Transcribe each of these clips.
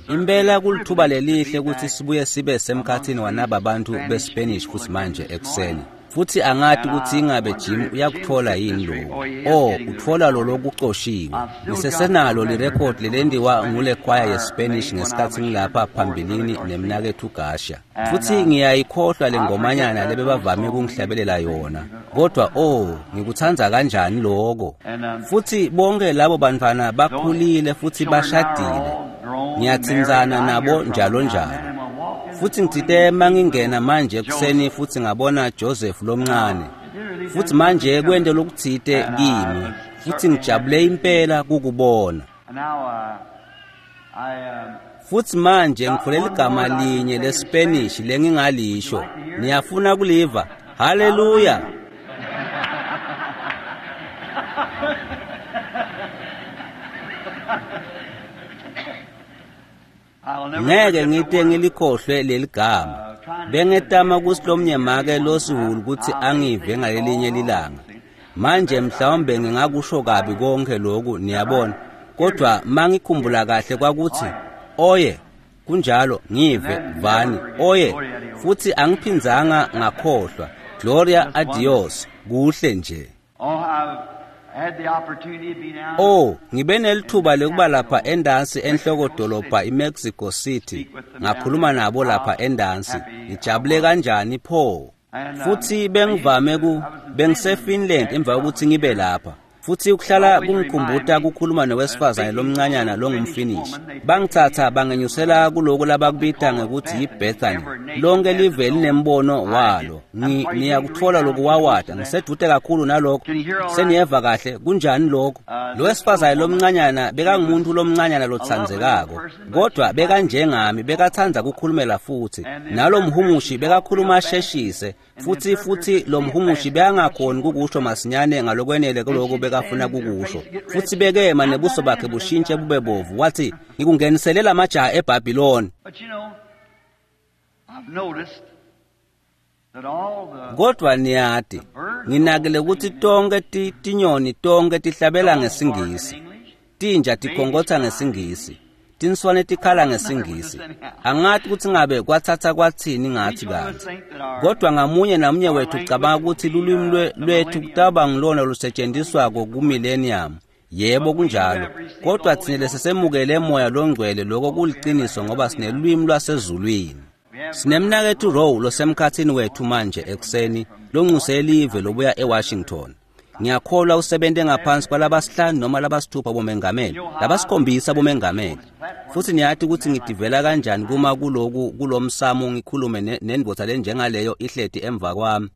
Impela kulithuba lelihle ukuthi sibuye sibe semkhathini wanaba bantu beSpanish futhi manje ekuseni. Futhi angati ukuthi ingabe Jim uyakuthola yini lokhu. Oh, uthola lo lokucoshiwe. Ngisesenalo lirekhodi lelendiwa ngule kwaya yeSpanish ngesikhathi ngilapha phambilini nemnakethu Gasha. Futhi ngiyayikhohlwa le ngomanyana lebebavame ukungihlabelela yona. Kodwa oh, ngikuthanda kanjani lokho. Futhi bonke labo bantwana bakhulile futhi bashadile. Ngiyathinzana nabo njalo njalo. Futhi ngithite mangingena manje ekuseni futhi ngabona Joseph lomncane. Futhi manje kwente lokuthite kimi. Futhi ngijabule impela kukubona. Futhi manje ngitholela igama linye leSpanish lengingalisho. Niyafuna kuliva? Hallelujah. Ngeke ngite ngilikhohlwe leli gama. Bengetama kusilomnye make losihulu ukuthi angive ngalelinye lilanga. Manje mhlawumbe ngingakusho kabi konke lokhu niyabona. Kodwa mangikhumbula kahle kwakuthi oye kunjalo ngive vani oye futhi angiphinzanga ngakhohlwa. Gloria a Dios kuhle nje. Oh, ngibe nelithuba lokuba lapha endansi enhlokodolobha iMexico City. Ngakhuluma nabo lapha endansi. Ngijabule kanjani pho? Futhi bengivame ku bengiseFinland emva kokuthi ngibe lapha. Futhi ukuhlala kungikhumbuta kukhuluma nowesifazane lomncanyana longumfinish. Bangithatha bangenyusela kuloko labakubita ngekuthi yiBethany. Lonke live linembono walo. Niyakuthola lokuwawata ngisedude kakhulu nalokho. Seniyeva kahle kunjani lokho? Lo wesifazane lomncanyana bekangumuntu lomncanyana lotsandzekako. Kodwa bekanjengami bekatsandza kukhulumela futhi. Nalo mhumushi bekakhuluma asheshise. Futhi lo mhumushi bekangakhoni kukusho masinyane ngalokwenele kuloko bekafuna kukusho. Futhi bekema nebuso bakhe bushintshe bube bovu. Wathi ngikunganiselela amajaha eBhabhiloni. Kodwa niyati nginakile ukuthi tonke tinyoni tonke tihlabela ngesingisi. Tinja tikhongotha ngesingisi. Tinswane tikhala ngesingisi. Angathi ukuthi ngabe kwathatha kwathini ngathi kanti. Kodwa ngamunye namunye wethu ucabanga ukuthi lulwimi lwethu kutaba ngilona lusetshenziswako ku-millennium. Yebo kunjalo. Kodwa thina lesisemukele moya longcwele lokho kuliqiniso ngoba sinelwimi lwasezulwini. Sinemnakethu Rowe losemkhathini wethu manje ekuseni lonxuse live lobuya eWashington. Ngiyakholwa usebenze ngaphansi kwalabasihlanu noma labasithupha bomengameli, labasikhombisa bomengameli. Futhi niyathi ukuthi ngidivela kanjani kuma kuloku kulomsamo ngikhulume nendvodza lenjengaleyo ihleti emva kwami.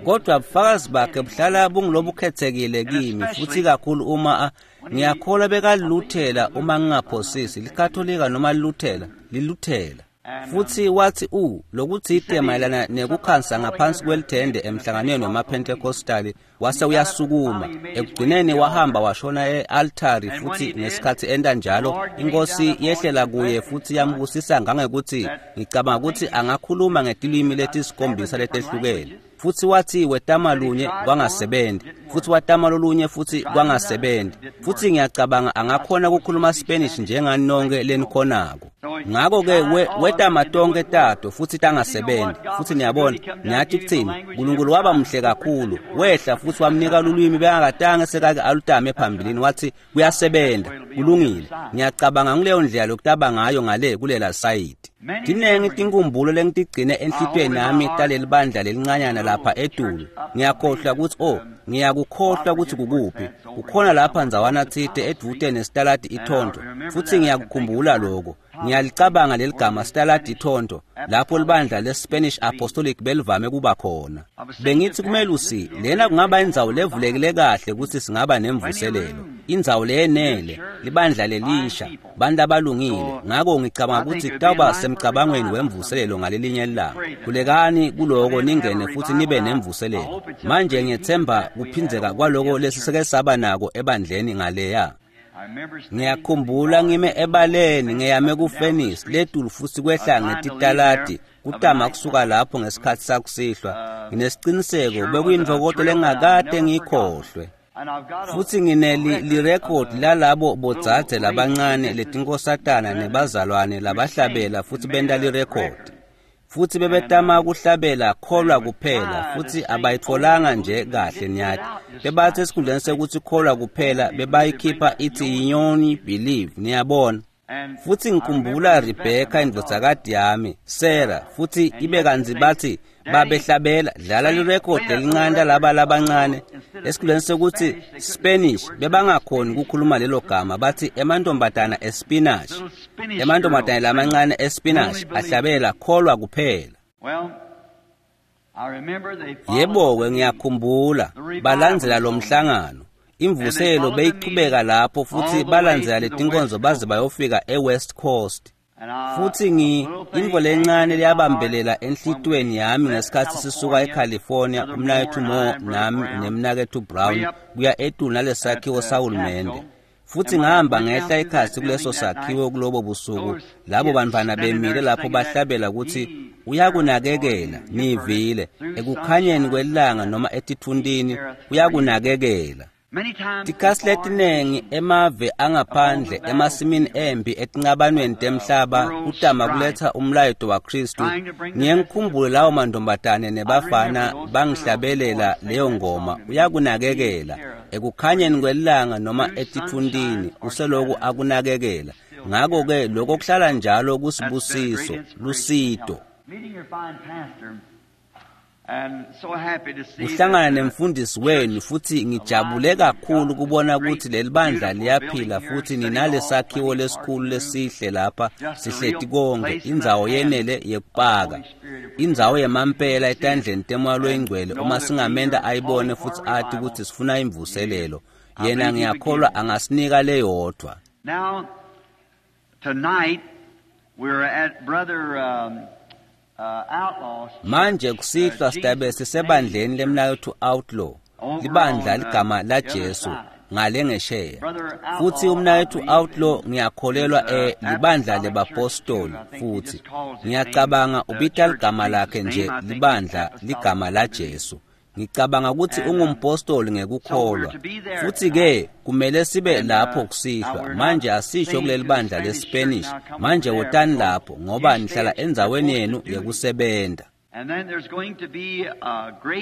Kodwa ubufakazi bakhe buhlala bungilobukhethekile kimi futhi kakhulu uma ngiyakholwa bekaluthela uma ngingaphosisi likatholika noma liluthela liluthela. Futhi wathi lokuthite mayelana nekukhansa ngaphansi kwelithende emhlanganweni wamaPentecostal wase uyasukuma. Ekugcineni wahamba washona e-altari futhi ngesikhathi enda njalo inkosi yehlela kuye futhi yambusisa ngangekuthi ngicabanga ukuthi angakhuluma ngetilwimi letisikhombisa letehlukene. Futhi wathi wetama lunye kwangasebenzi, futhi watama lolunye futhi kwangasebenzi. Futhi ngiyacabanga angakhona ukukhuluma Spanish njengani nonke lenikhonako. Ngakho-ke wetama tonke tato futhi tangasebenzi. Futhi niyabona, niyathi kuthini, uNkulunkulu waba muhle kakhulu, wehla futhi wamnika lulwimi bekangakatange sekake alutame phambilini wathi kuyasebenza, kulungile. Ngiyacabanga nguleyo ndlela lokutaba ngayo ngale kulela sayidi. Tinengi tinkumbulo lengitigcine enhlitiyweni nami taleli bandla lelincanyana lapha etulu. Ngiyakhohlwa ukuthi ngiyakukhohlwa ukuthi kukuphi. Kukhona lapha ndzawana tsite edvute nesitaladi iThonto. Futhi ngiyakukhumbula lokho. Ngiyalicabanga leli gama sitaladi iThonto lapho libandla leSpanish Apostolic belivame kuba khona. Bengithi kumelusi lena kungaba indzawo levulekile kahle ukuthi singaba nemvuselelo. Indzawo leyenele, libandla lelisha, bantu abalungile. Ngakho ngicabanga ukuthi kutawuba semcabangweni wemvuselelo ngalelinye ilanga. Khulekani kuloko ningene futhi nibe nemvuselelo. Manje ngiyethemba kuphindzeka kwaloko lesiseke saba nako ebandleni ngaleya. Ngiyakhumbula ngime ebaleni ngeyame kufenisi letulu futhi kwehla ngetitaladi kutama kusuka lapho ngesikhathi sakusihlwa. Nginesiqiniseko bekuyintokoto lengakade ngiyikhohlwe. Futhi nginelirekhodi lalabo bodzadze labancane letinkosatana nebazalwane labahlabela futhi benta lirekhodi. Futhi bebetama kuhlabela kholwa kuphela futhi abayitfolanga nje kahle niyati. Bebathe esikhundleni sekuthi kholwa kuphela bebayikhipha ithi yinyoni believe, niyabona. Futhi ngikhumbula Rebecca indvodzakati yami, Sarah, futhi ibe kantsi bathi babehlabela dlala lirekhodi lelincane laba labancane esikhundleni sekuthi Spanish bebangakhoni ukukhuluma lelo gama, bathi emantombazana espinach, emantombazana lamancane espinach ahlabela kholwa kuphela. Yebo-ke ngiyakhumbula balandzela lo mhlangano. Imvuselo beyichubeka lapho futhi balandzela letinkonzo baze bayofika eWest Coast. Futhi intfo lencane liyabambelela enhlitiyweni yami ngesikhathi sisuka eCalifornia, umnaketfu Moore nami nemnaketfu Brown kuya etulu nalesakhiwo sahulumende. Futhi ngihamba ngehla ekhatsi kuleso sakhiwo kulobo busuku, labo bantfwana bemile lapho bahlabela ukuthi uyakunakekela, nivile, ekukhanyeni kwelanga noma etitfuntini, uyakunakekela. Tikhatsi letinengi emave angaphandle emasimini empi etincabanweni temhlaba kutama kuletha umlayeto waKristu. Ngiye ngikhumbule lawo mantombazane nebafana bangihlabelela leyo ngoma, uyakunakekela ekukhanyeni kwelanga noma etitfuntini, useloku akunakekela. Ngakho-ke lokho kuhlala njalo kusibusiso, lusito. Uhlangana nemfundisi wenu futhi ngijabule kakhulu kubona ukuthi leli bandla liyaphila futhi ninalesakhiwo lesikhulu lesihle lapha, sihleti konke, indzawo yenele yekupaka, indzawo yemampela etandleni temoya loyingcwele. Uma singamenta ayibone futhi athi ukuthi sifuna imvuselelo, yena ngiyakholwa angasinika leyodwa. Now tonight we're at Brother Manje kusihlwa sitabe sisebandleni lemnaketfu Outlaw, libandla ligama la Jesu ngale ngesheya. Futhi umnaketfu Outlaw ngiyakholelwa libandla lebapostoli, futhi ngiyacabanga ubita ligama lakhe nje libandla ligama la Jesu. Ngicabanga ukuthi ungumpostoli ngekukholwa. Futhi ke kumele sibe lapho kusihlwa. Manje asisho kuleli bandla leSpanish. Manje wotani lapho ngoba nihlala endzaweni yenu yekusebenta.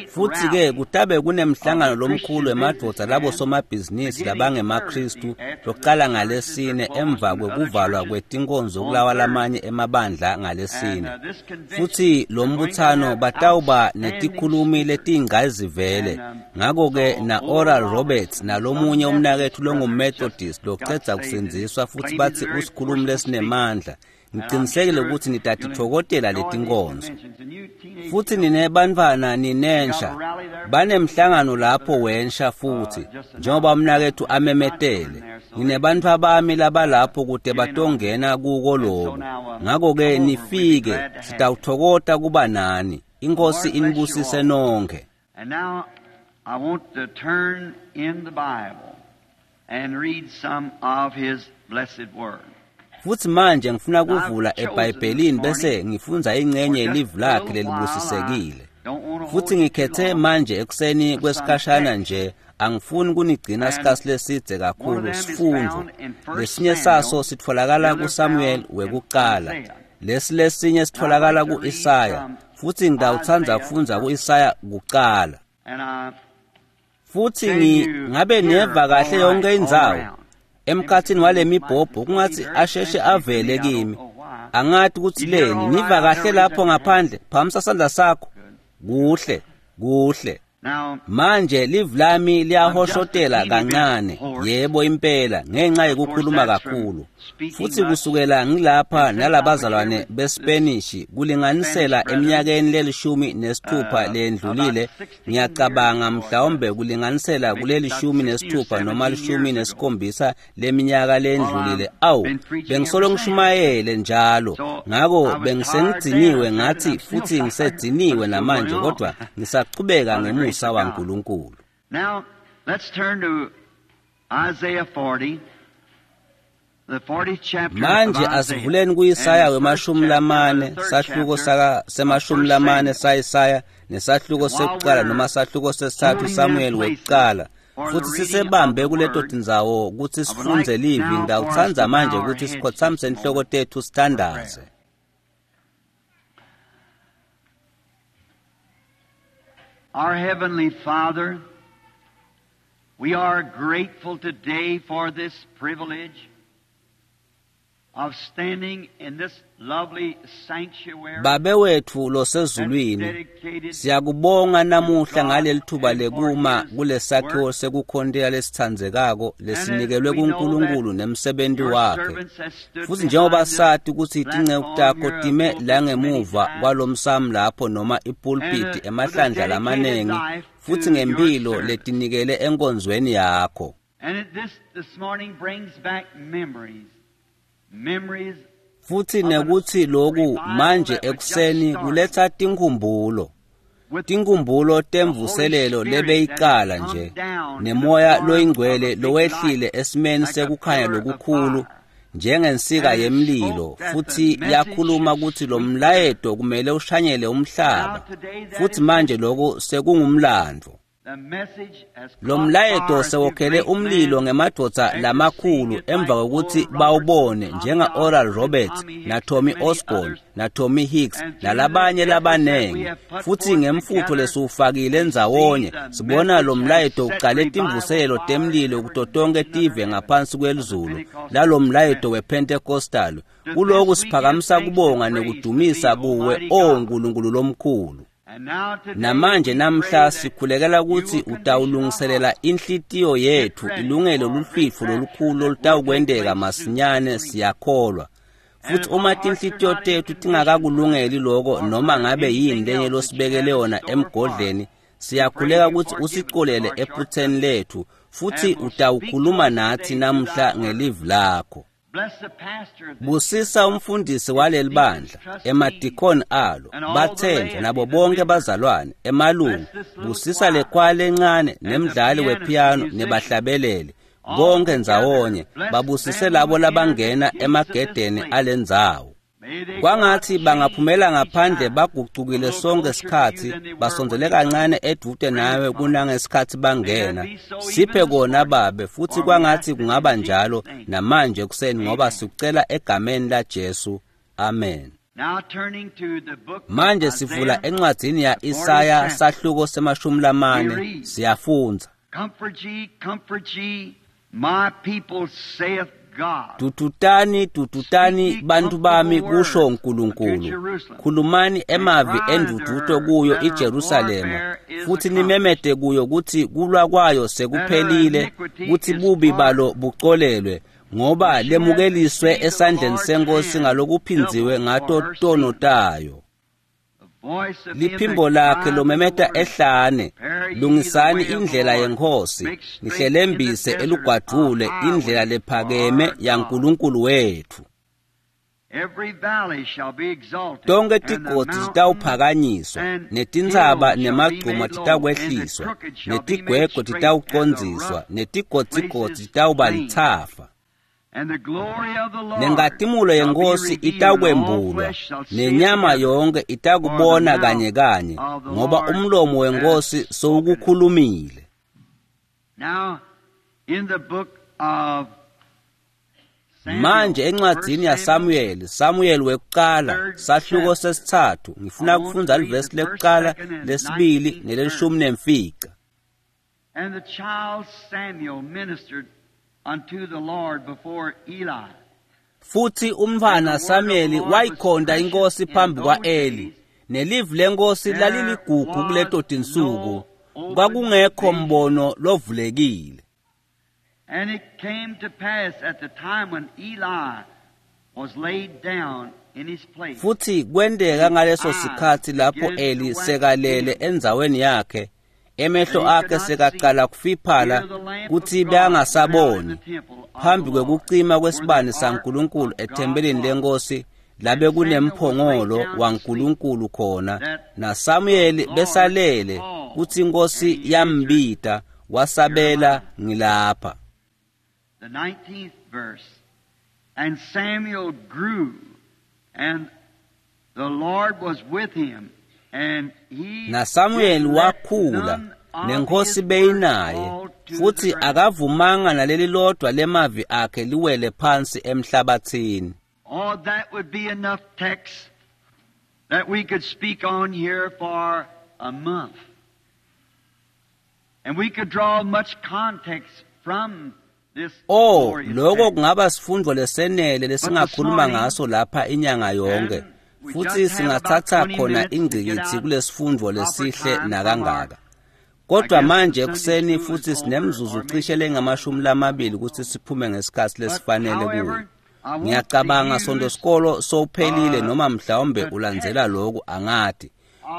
Futhi ke kutabe kunemhlangano lomkhulu emadvodza labo somabhizinisi labangemaKristu loqala ngalesine emva kwekuvalwa kwetinkonzo kulawa lamanye emabandla ngalesine. Futhi lo mbuthano batawuba netikhulumi letingayizivele. Ngakho-ke na Oral Roberts nalomunye umnaketfu longuMethodist locedza kusindziswa futhi bathi usikhulumi lesinemandla. Ngiqinisekile ukuthi nitatitfokotela letinkonzo. Futhi ninebantfwana ninensha, banemhlangano lapho wensha futhi njengoba umnaketfu amemetele. Nginebantfwa bami labalapho kute batongena kuko loku. Ngakho-ke nifike, sitawutfokota kuba nani. Inkosi inibusise nonke. And now I want to turn in the Bible and read some of his blessed word. Futhi manje ngifuna kuvula eBhayibhelini bese ngifundza ingcenye yelivi lakhe lelibusisekile. Futhi ngikhethe manje ekuseni kwesikhashana nje, angifuni kunigcina isikhathi lesidze kakhulu sifundvo. Lesinye saso sitfolakala kuSamuel wekuqala, lesi lesinye sitfolakala kuIsaya, futhi ngitawutsandza kufundza kuIsaya kuqala. Futhi ngabe neva kahle yonke indzawo emkhathini wale mibhobho kungathi asheshe avele kimi. Angathi ukuthi leni niva kahle lapho ngaphandle, phamisa sandla sakho. Kuhle, kuhle. Manje livi lami liyahoshotela kancane, yebo impela, ngenxa yokukhuluma kakhulu. Futhi kusukela ngilapha nalabazalwane beSpanish kulinganisela eminyakeni le-16 lendlulile, ngiyacabanga mhlawumbe kulinganisela kule-16 noma 17 leminyaka lendlulile. Awu, bengisolo ngishumayele njalo, ngakho bengisengidiniwe ngathi futhi ngisedziniwe namanje, kodwa ngisachubeka ngemusa waNkulunkulu. Now let's turn to Isaiah 40. Manje asivuleni kuIsaya wema-40, sahluko sema-40 saIsaya, nesahluko sekuqala noma sahluko sesithathu Samuel wekuqala. Futhi sisebambe kuleto tindzawo kutsi sifundze livi. Ngitawutsandza manje kutsi sikhotsamise inhloko tetfu sithandaze. Our Heavenly Father, we are grateful today for this privilege of standing in this lovely sanctuary. Babe wetfu losezulwini, siyakubonga namuhla ngalelithuba lekuma kulesakhiwo sekukhontela lesitsandzekako lesinikelwe kuNkulunkulu nemsebenti wakhe. Futhi njengoba sati kutsi tinceku takho time la ngemuva kwalomsamo lapho noma ipulpiti emahlandla lamanengi, futhi ngempilo letinikele enkonzweni yakho. And this morning brings back memories. Memories Futhi nekuthi loku manje ekuseni kuletha tinkhumbulo. Tinkhumbulo temvuselelo lebeyiqala nje, nemoya loyingcwele lowehlile esimeni sekukhanya lokukhulu njengensika yemlilo, futhi yakhuluma kutsi lo mlayeto kumele ushanyele umhlaba. Futhi manje lokhu sekungumlandvo. The message has Lo caught mlayeto fire sewokhele through great umlilo men ngemadvodza lamakhulu emva kokuthi bawubone njenga-Oral Roberts na-Tommy Osborn na-Tommy Hicks nalabanye labanengi. Futhi ngemfutho lesiwufakile ndzawonye sibona lo mlayeto ucale timvuselelo temlilo kuto tonke tive ngaphansi kwelizulu lalo mlayeto wePentecostal. Kuloku siphakamisa kubonga nekudumisa kuwe, O Nkulunkulu lomkhulu. And now today Namanje we namhla pray that sikhulekela you kutsi will condition our utawulungiselela hearts inhlitiyo yethu ilungele luhlwitfo lolukhulu lolutawukwenteka soon. masinyane, siyakholwa. And Futhi if our uma hearts are tinhlitiyo not in tethu condition tingakakulungeli loko or noma for ngabe yini anything lenye else that you losibekele have in yona store for us, emgodleni, we pray siyakhuleka you kutsi forgive us usicolele for our ephutseni shortcomings letfu, futhi and will speak to utawukhuluma us natsi today through namhla thy word. ngelivi lakho. Bless the pastor of this Busisa church, umfundisi his waleli deacons, bandla, trustees, emadikoni alo, and all the bathenjwa nabo laity, the bonke members. bazalwane, emalungu. Bless this little Busisa choir lekwaya lencane and the nemdlali pianist, the wepiano musicians, nebahlabeleli, all konke together. ndzawonye. Bless Babusise them labo who enter the labangena gates of this emagedeni place. alendzawo. May they go out Kwangathi changed bangaphumela each ngaphandle time, a bagucukile little sonke closer to you sikhatsi, than they were when basondzele they come. kancane edvute nawe Grandfather. kunangesikhatsi May that bangena. be so even Siphe this kona morning, babe, futhi for we ask kwangathi it in kungaba Jesus' njalo name. namanje ekuseni ngoba Amen. sikucela egameni laJesu. Amen. Now turning to the book of Manje sivula Isaiah, encwadzini ya the 40th Isaya chapter, sahluko semashumi we lamane, read, siyafundza. Comfort ye, comfort ye, my people, saith God. Dudutani, Speak dudutani ye bantu bami, comfortable kusho words unto uNkulunkulu. Jerusalem, Khulumani and emavi cry unto enduduzo her kuyo that her iJerusalema, warfare is futhi accomplished, nimemete kuyo kutsi kulwa kwayo that her sekuphelile, iniquity kutsi is bubi balo pardoned, bucolelwe, ngoba for she hath lemukeliswe received of the esandleni Lord's senkosi hand ngalokuphindziwe double for ngato her tono sin. tayo. The voice of him that Liphimbo lakhe cried in the lomemeta wilderness, ehlane, Prepare ye the lungisani way of the indlela Lord, yenkosi, make straight in the nihlelembise desert a elugwadvule indlela highway for lephakeme our God. yaNkulunkulu wethu. Every valley shall be exalted, Tonke and the tigodzi mountains titawuphakanyiswa, and netintsaba hills shall be nemagcuma made low, and the titakwehliswa, crooked shall be made netigwegwe straight, and the titawucondziswa, rough netigodzigodzi places titawuba plain. litsafa. And the glory of the Lord Nenkatimulo shall be yenkosi revealed, and all itakwembulwa, flesh shall see it nenyama together. yonke For the itakubona mouth kanye kanye, of the ngoba Lord umlomo hath wenkosi spoken it. sowukukhulumile. Now, in the book of Manje Samuel, encwadzini First Samuel, yaSamuel, Samuel wekuqala, third sahluko chapter, sesitsatfu, I ngifuna want to kufundza read livesi the first, lekuqala, second, and lesibili 19th verse. nelelishumi nemfica. And the child Samuel ministered unto the Lord before Eli. Futhi And the umntfwana word of the Samuel Lord was wayikhonta precious inkosi in phambi those kwa-Eli. days. Nelivi lenkosi There laliligugu kuleto was tinsuku. no open Kwakungekho vision. mbono lovulekile. And it came to pass at the time when Eli was laid down in his place, Futhi kwenteka and his ngaleso eyes sikhatsi lapho began to Eli wax sekalele dim, endzaweni yakhe, that emehlo he could akhe not see sekacala kufiphala till the lamp of kutsi God went out in the bekangasaboni. temple of the Phambi Lord, kwekucima where the kwesibane ark saNkulunkulu of God ethempelini was. lenkosi labe And Samuel was laid kunemphongolo down to sleep, waNkulunkulu khona, that the naSamuyeli Lord besalele called, kutsi and inkosi he answered, yambita Here am wasabela I. ngilapha. The 19th verse. And Samuel grew, and the Lord was with him, and he NaSamuel did let wakhula none of nenkosi his words beyinaye fall to Futhi akavumanga naleli lodwa lemavi akhe liwele phansi emhlabathini. Oh, that would be enough text that we could speak on here for a month. And we could draw much context from this. Oh, lokho kungaba sifundo lesenele lesingakhuluma ngaso lapha inyanga yonke. Futhi singathatha khona ingqikithi kulesifundo lesihle nakangaka. Kodwa manje ekuseni futhi sinemzuzu cishe lengamashumi ukuthi siphume ngesikhathi lesifanele kuyo. Ngiyacabanga sonto sikolo sowuphelile noma mhlawumbe ulandzela lokhu angathi.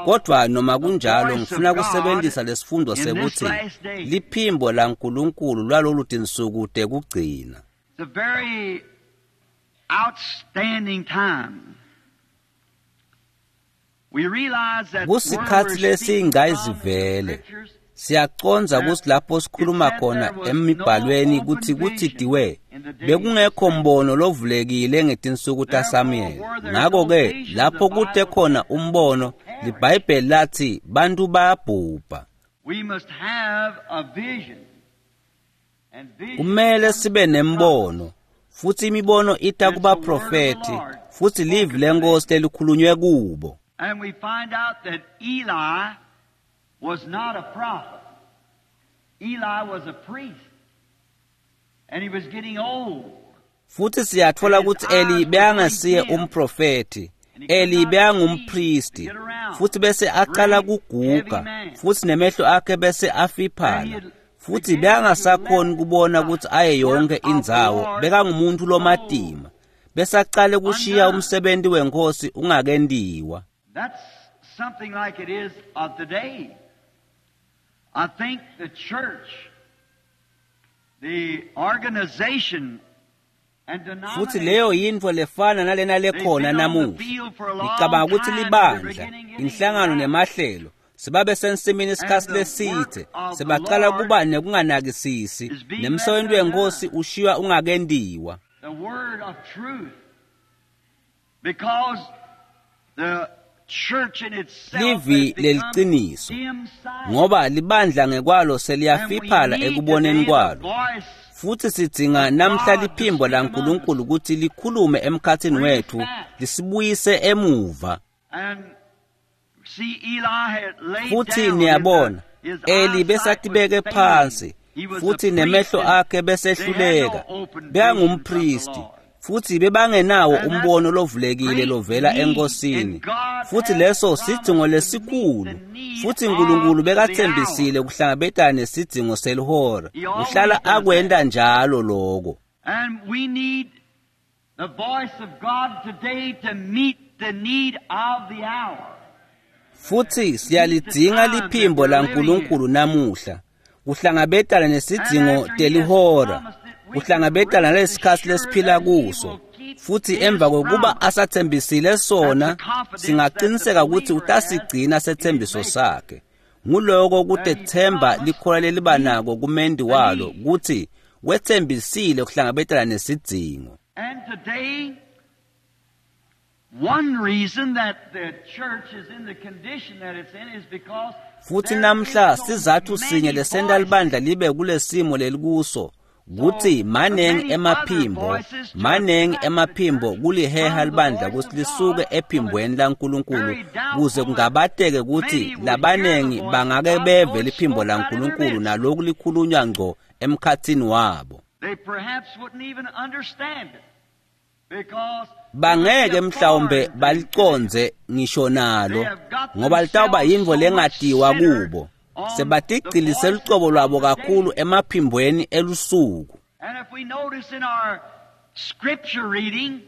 Kodwa noma kunjalo ngifuna kusebenzisa lesifundo sekuthi liphimbo laNkulunkulu lwalolu tinsuku tekugcina. It's a very outstanding time. We realize that Kusikhathi lesingayizivele. Siyacondza ukuthi lapho sikhuluma khona emibhalweni kuthi kuthidiwe bekungekho mbono lovulekile ngetinsuku taSamuel. Ngakho-ke lapho kute khona umbono liBhayibheli lathi bantu bayabhubha. We must have a vision. And vision Kumele sibe nembono futhi imibono ita kubaprofethi futhi livi lenkosi lelikhulunywe kubo. And we find out that Eli was not a prophet. Eli was a priest. And he was getting old. Futhi siyathola ukuthi Eli bekangasiye umprofethi. Eli bekangumpristi futhi bese aqala kuguga futhi nemehlo akhe bese afiphala futhi bekangasakhoni kubona ukuthi aye yonke indzawo. Bekangumuntu lomatima bese aqale kushiya umsebenzi wenkosi ungakendiwa. That's something like it is of today. I think the church, the organization, and Futhi leyo yintfo lefana nalena lekhona namuhla. Ngicabanga ukuthi libandla, inhlangano nemahlelo sibabe sensimini isikhathi lesithe sebaqala kuba nekunganakisisi nemsebenzi wenkosi ushiywa ungakendiwa. The word of truth, because the church in itself Livi has become leliqiniso dim-sighted. ngoba libandla ngekwalo And we seliyafiphala need ekuboneni today the kwalo. voice Futhi sidzinga namhla liphimbo laNkulunkulu ukuthi likhulume emkhathini wethu lisibuyise emuva. And see, Eli had laid Futhi down niyabona his Eli eyesight besatibeke was failing. phansi He was futhi a priest nemehlo and akhe they besehluleka. had no open visions of the Bekangumpristi Lord. futhi bebangenawo And that's umbono lovulekile great lovela need, enkosini. and God Futhi has leso promised sidzingo to meet lesikhulu the need futhi uNkulunkulu of the bekathembisile hour. kuhlangabetana nesidzingo selihora. He always Uhlala does that. akwenta njalo lokho. And we need the voice of God today to meet the need of the hour. Futhi siyalidzinga liphimbo laNkulunkulu namuhla kuhlangabetana nesidzingo telihora, kuhlangabetana nalesikhathi lesiphila kuso. Futhi emva kokuba asathembisile sona, singaqiniseka ukuthi utasigcina sethembiso sakhe. Nguloko kutethemba likhola leliba nako kumendi walo ukuthi wethembisile kuhlangabetana nesidzingo. And today, one reason that the church is in the condition that it's in is because Futhi there namhla is so sizathu many sinye lesenta voices. libandla libe kulesimo lelikuso kuthi manengi emaphimbo, manengi emaphimbo kuliheha libandla ukuthi lisuke ephimbweni laNkulunkulu kuze kungabateke ukuthi labanengi bangake beve liphimbo laNkulunkulu naloku likhulunywa ngco emkhathini wabo. They perhaps wouldn't even understand it because Bangeke mhlawumbe balicondze ngisho nalo ngoba litawuba yintfo lengatiwa kubo. Sebatigcilise lucobo lwabo kakhulu emaphimbweni elusuku. And if we notice in our scripture reading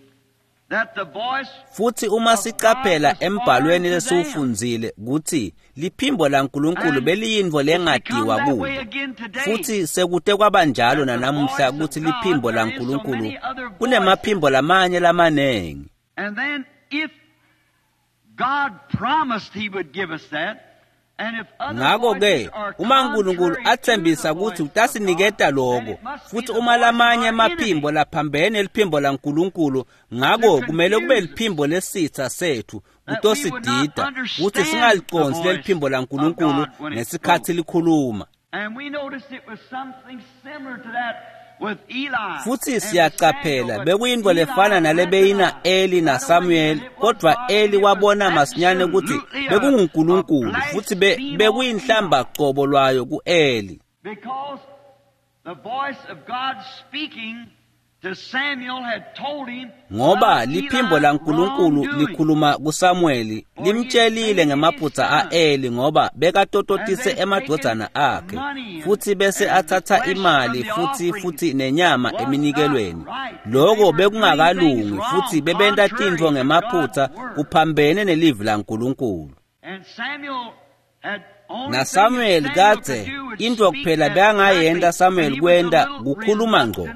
that the voice Futhi uma siqaphela embhalweni lesiwufundzile kuthi liphimbo laNkulunkulu beliyintfo it's become lengatiwa that kubo. way again today. Futhi sekute kwabanjalo nanamuhla ukuthi liphimbo laNkulunkulu kunemaphimbo lamanye lamanengi. And then if God promised he would give us that, and if other Ngakho ke voices are uma uNkulunkulu contrary to athembisa the ukuthi voice of utasiniketa God, lokho then it must be futhi the uma voice of lamanye our amaphimbo enemy. laphambene liphimbo laNkulunkulu ngakho To kumele kube confuse us. liphimbo lesitha sethu That we would not kutosidida understand ukuthi the singaliconsi voice leliphimbo of laNkulunkulu God when it ngesikhathi spoke. likhuluma. Futsi siyacaphela bekuyintfo lefana nalebeyina Eli naSamuel, kodvwa Eli wabona masinyane kutsi bekunguNkulunkulu futsi bekuyinhlamba cobo lwayo ku-Eli. Ngoba liphimbo laNkulunkulu likhuluma kuSamueli limtshelile ngemaphutsa a-Eli ngoba bekatototise emadvodzana akhe futsi bese atsatsa imali futsi nenyama eminikelweni. Loko bekungakalungi futsi bebenta tintfo ngemaphutsa kuphambene nelivi laNkulunkulu. NaSamuel kadze intfo kuphela bekangayenta Samuel kwenta kukhuluma ngco,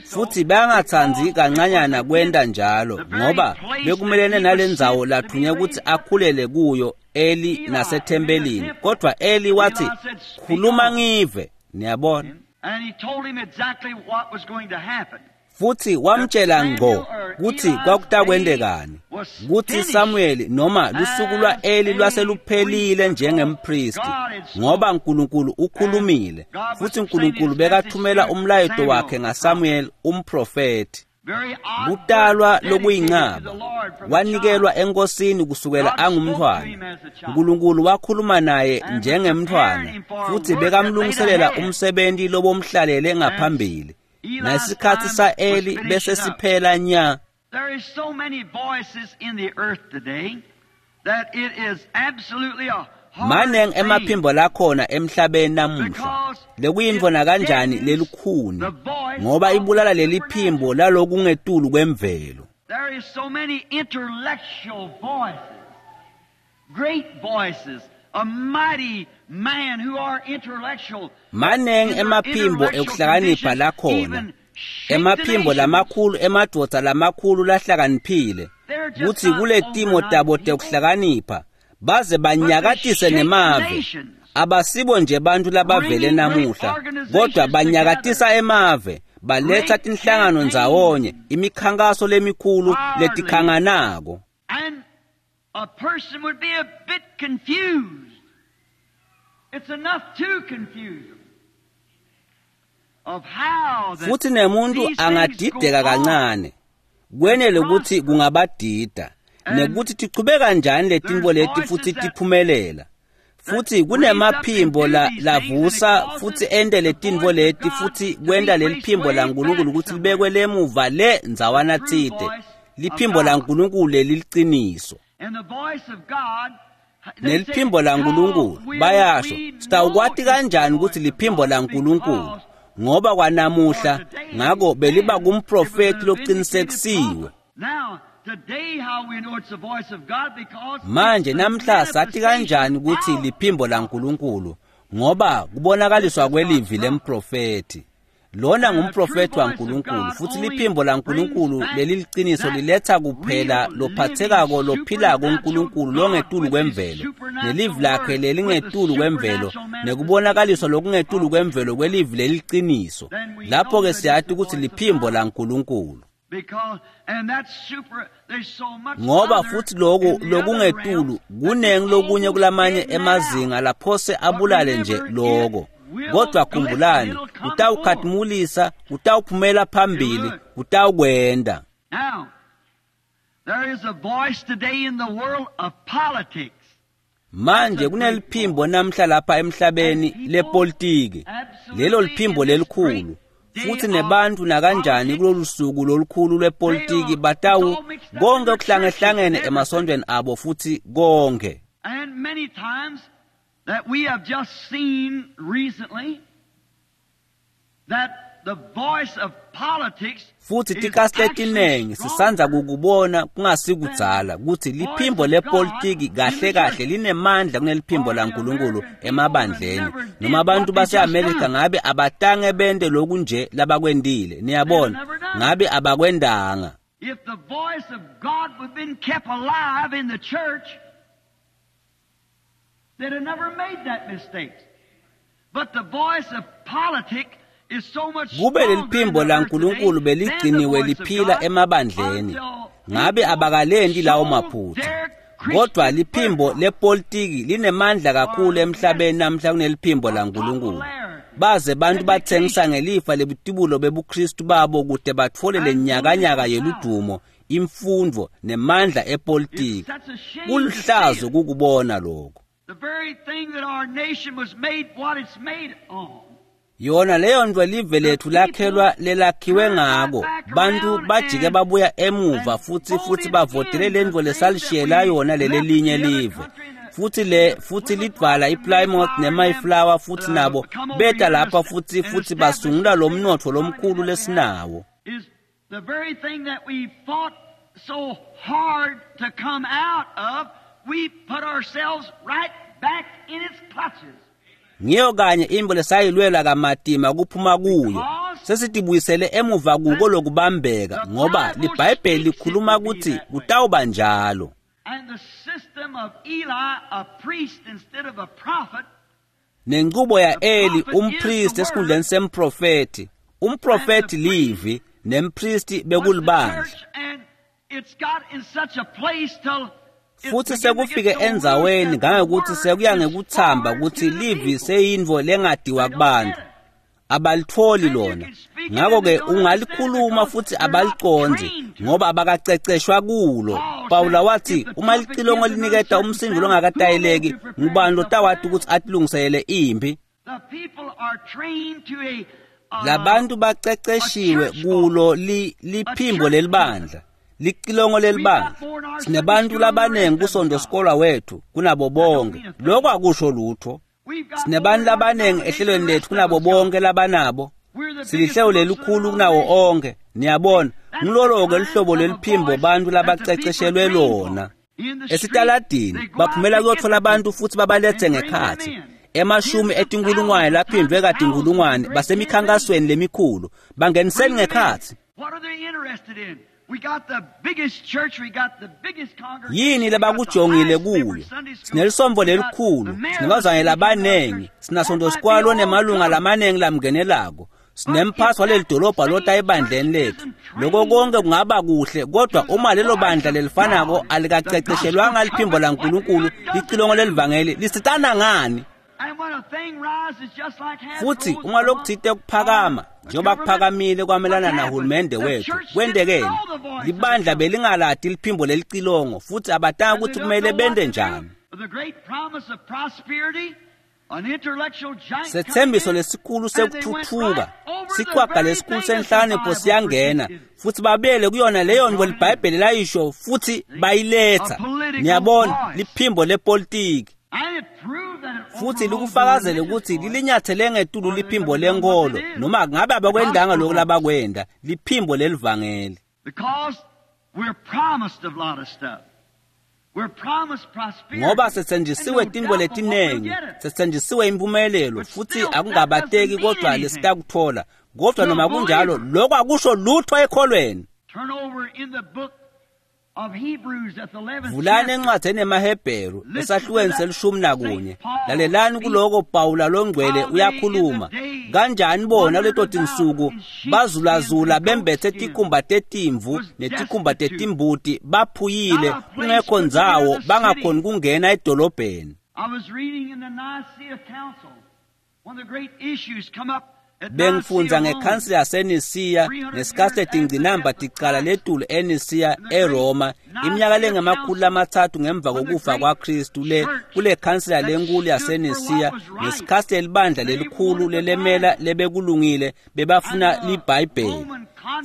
futsi bekangatsandzi kancanyana kwenta njalo ngoba bekumelene nalendzawo lathunywe kutsi akhulele kuyo Eli nasethempelini. Kodvwa Eli watsi, "Khuluma ngive," niyabona. Futsi wamtshela ngco kutsi kwakutakwendekani, kutsi Samuel noma lusuku lwa-Eli lwaseluphelile njengempristi, ngoba Nkulunkulu ukhulumile, futsi Nkulunkulu bekathumela umlayeto wakhe ngaSamuel umprofethi. Kutalwa lokuyincaba, wanikelwa enkosini kusukela angumntfwana. Nkulunkulu wakhuluma naye njengemntfwana, futsi bekamlungiselela umsebenti lobomhlalele ngaphambili. Nesikhatsi sa-Eli bese siphela nya. There is so many voices in the earth today that it is absolutely a Maneng emaphimbo lakhona emhlabeni namuhla lekuyintfo nakanjani lelukhuni, ngoba ibulala leliphimbo lalokungetulu kwemvelo. There is so many intellectual voices, great voices, a mighty man who are intellectual. Maneng emaphimbo ekuhlakanipha lakhona, emaphimbo lamakhulu emadvodza lamakhulu lahlakaniphile, kutsi kuletimo tabo tekuhlakanipha baze banyakatise nemave. Abasibo nje bantfu labavele namuhla, kodwa banyakatisa emave, baletsa tinhlangano ndzawonye, imikhankaso lemikhulu letikhanganako. And a person would be a bit confused. It's enough to confuse them of how that Futsi nemuntu angadideka kancane, kwenele kutsi kungabadida, nekuthi tichubeka kanjani letintfo leti futsi tiphumelela. Futsi kunemaphimbo lavusa futsi ente letintfo leti futsi kwenta leliphimbo laNkulunkulu kutsi libekwe lemuva le ndzawana tsite, liphimbo laNkulunkulu leliliciniso. Neliphimbo laNkulunkulu bayasho, sitawukwati kanjani kutsi liphimbo laNkulunkulu? Ngoba kwanamuhla ngako beliba kumprofethi loqinisekisiwe. Manje namhla sathi kanjani kutsi liphimbo laNkulunkulu? Ngoba kubonakaliswa kwelivi lemprofethi. Lona ngumprofethi waNkulunkulu, futsi liphimbo laNkulunkulu leliliciniso liletha kuphela lophathekako lophilako uNkulunkulu longetulu kwemvelo, nelivi lakhe lelingetulu kwemvelo, nekubonakaliswa lokungetulu kwemvelo kwelivi leliliciniso. Lapho-ke siyati kutsi liphimbo laNkulunkulu. Ngoba futsi loku lokungetulu kunengi lokunye kulamanye emazinga laphose abulale nje loko. Kodwa khumbulani, kutawukhatimulisa, kutawuphumela phambili, kutawukwenda. Manje kuneliphimbo namhla lapha emhlabeni lepolitiki, lelo liphimbo lelikhulu. Futsi nebantfu nakanjani kulolu suku lolukhulu lwepolitiki batawu konke kuhlangehlangene emasontweni abo futsi konke. And many times that we have just seen recently that the voice of politics Futsi tikhatsi letinengi sisandza kukubona kungasikudzala kutsi liphimbo lepolitiki kahle kahle linemandla kuneliphimbo laNkulunkulu emabandleni. Noma abantu baseAmerica ngabe abatange bente loku nje labakwentile, niyabona, ngabe abakwendanga. If the voice of God would have been kept alive in the church, they'd have never made that mistake. But the voice of politics is so much Kube leliphimbo laNkulunkulu beligciniwe liphila emabandleni, ngabe abakalenti lawo maphutsa. Kodwa liphimbo lepolitiki linemandla kakhulu emhlabeni namhla kuneliphimbo laNkulunkulu. Baze bantu batsengisa ngelifa lebutibulo bebuKristu babo kute batfole lenyakanyaka yeludumo, imfundvo nemandla epolitiki. Kuluhlazo kukubona lokho. The very thing that our nation was made what it's made on. Yona leyo nto live lethu lakhelwa lelakhiwe ngako. Bantu bajike babuya emuva futhi bavotele lento lesalishiyela yona lelelinye live. Futhi lidvala iPlymouth neMayflower futhi nabo beta lapha futhi basungula lo mnotfo lomkhulu lesinawo. Is the very thing that we fought so hard to come out of, we put ourselves right back in its clutches. Ngiyo kanye imbo lesayilwela kamatima kuphuma kuyo. Sesitibuyisele emuva kuko lokubambeka ngoba liBhayibheli likhuluma ukuthi kutawuba njalo. And the system of Eli, a priest instead of a prophet, Nenqubo ya Eli umpriest esikhundleni semprofeti. Umprofeti livi nempristi bekulibandla. And it's got in such a place till Futhi sekufike endzaweni ngangekuthi sekuya ngekuthamba ukuthi livi seyintfo lengadiwa kubantu. Abalitholi lona. Ngakho-ke ungalikhuluma futhi abalicondzi ngoba abakaceceshwa kulo. Pawula wathi uma licilongo liniketa umsindo longakatayeleki, ngubani lotawati ukuthi atilungiselele impi? The people are trained to a Labantu baceceshiwe kulo liphimbo lelibandla, licilongo lelibandla. Sinebantu labanengi kusonto sikolwa wethu kunabo bonke. Lokho akusho lutho. Sinebantu labanengi ehlelweni lethu kunabo bonke labanabo. Silihlelo lelikhulu kunawo onke. Niyabona, ngilolo-ke luhlobo leliphimbo bantu labaceceshelwe lona. Esitaladini baphumela kuyothola abantu futhi babalethe ngekhatsi. Emashumi etinkulungwane laphindwe katinkulungwane basemikhankasweni lemikhulu bangeniseni ngekhatsi. What are they interested in? We got the biggest church, we got the biggest congregation. Yini labakujongile kuyo? Sinelisombo lelikhulu, sinebazwane labanengi, sinasonto sikwalo nemalunga lamanengi lamngenelako. Sinemphathi waleli dolobha lota ebandleni lethu. Lokho konke kungaba kuhle, kodwa uma lelo bandla lelifanako alikaceceshelwanga liphimbo laNkulunkulu, licilongo lelivangeli lisitana ngani? And when a thing rises just like has Futhi rose uma lokuthite kuphakama, njengoba kuphakamile kwamelana What nahulumende happened? wethu, The church kwentekeni? didn't know the voice of Libandla the belingalati liphimbo lelicilongo futhi abatanga And they ukuthi don't kumele know what bende to do. njani. The great promise of prosperity, an intellectual giant Sethembiso coming in, lesikhulu and they went sekuthuthuka, right over the siqhwaga very lesikhulu thing that the senhlakanipho Bible siyangena predicted. futhi babele kuyona leyo nto liBhayibheli layisho futhi bayiletha. A political Niyabona, voice. liphimbo lepolitiki. And it proved that it Futhi overrode the likufakazele religious ukuthi voice. lilinyathele ngetulu liphimbo lenkolo noma ngabe abakwendanga lokhu labakwenda, liphimbo lelivangeli. Because we're promised a lot of stuff. We're promised prosperity. Ngoba setsenjisiwe And no tintfo doubt we'll letinengi, get it. setsenjisiwe impumelelo But futhi still, that akungabateki doesn't mean kodwa anything. lesitakuthola. Kodwa To noma a kunjalo, believer. lokho akusho lutho ekholweni. Turn over in the book of Hebrews at the 11th Vulani chapter. encwadini yemaHebheru esahlukweni se-11. Lalelani kuloko Pawula longcwele uyakhuluma. Kanjani bona leto tinsuku bazulazula bembethe tikhumba tetimvu netikhumba tetimbuti baphuyile kungekho ndzawo bangakhoni kungena edolobheni. I was reading in the Nicaea Council. One of the great issues come up at Bengifundza Nicaea, Rome. ngekhansila yaseNisiya ngesikhatsi letingcinamba ticala letulu eNisiya eRoma iminyaka lengama-300 ngemva kokufa kwaKristu le kule khansila lenkulu yaseNisiya ngesikhatsi lelibandla lelikhulu lelemela lebekulungile bebafuna liBhayibheli.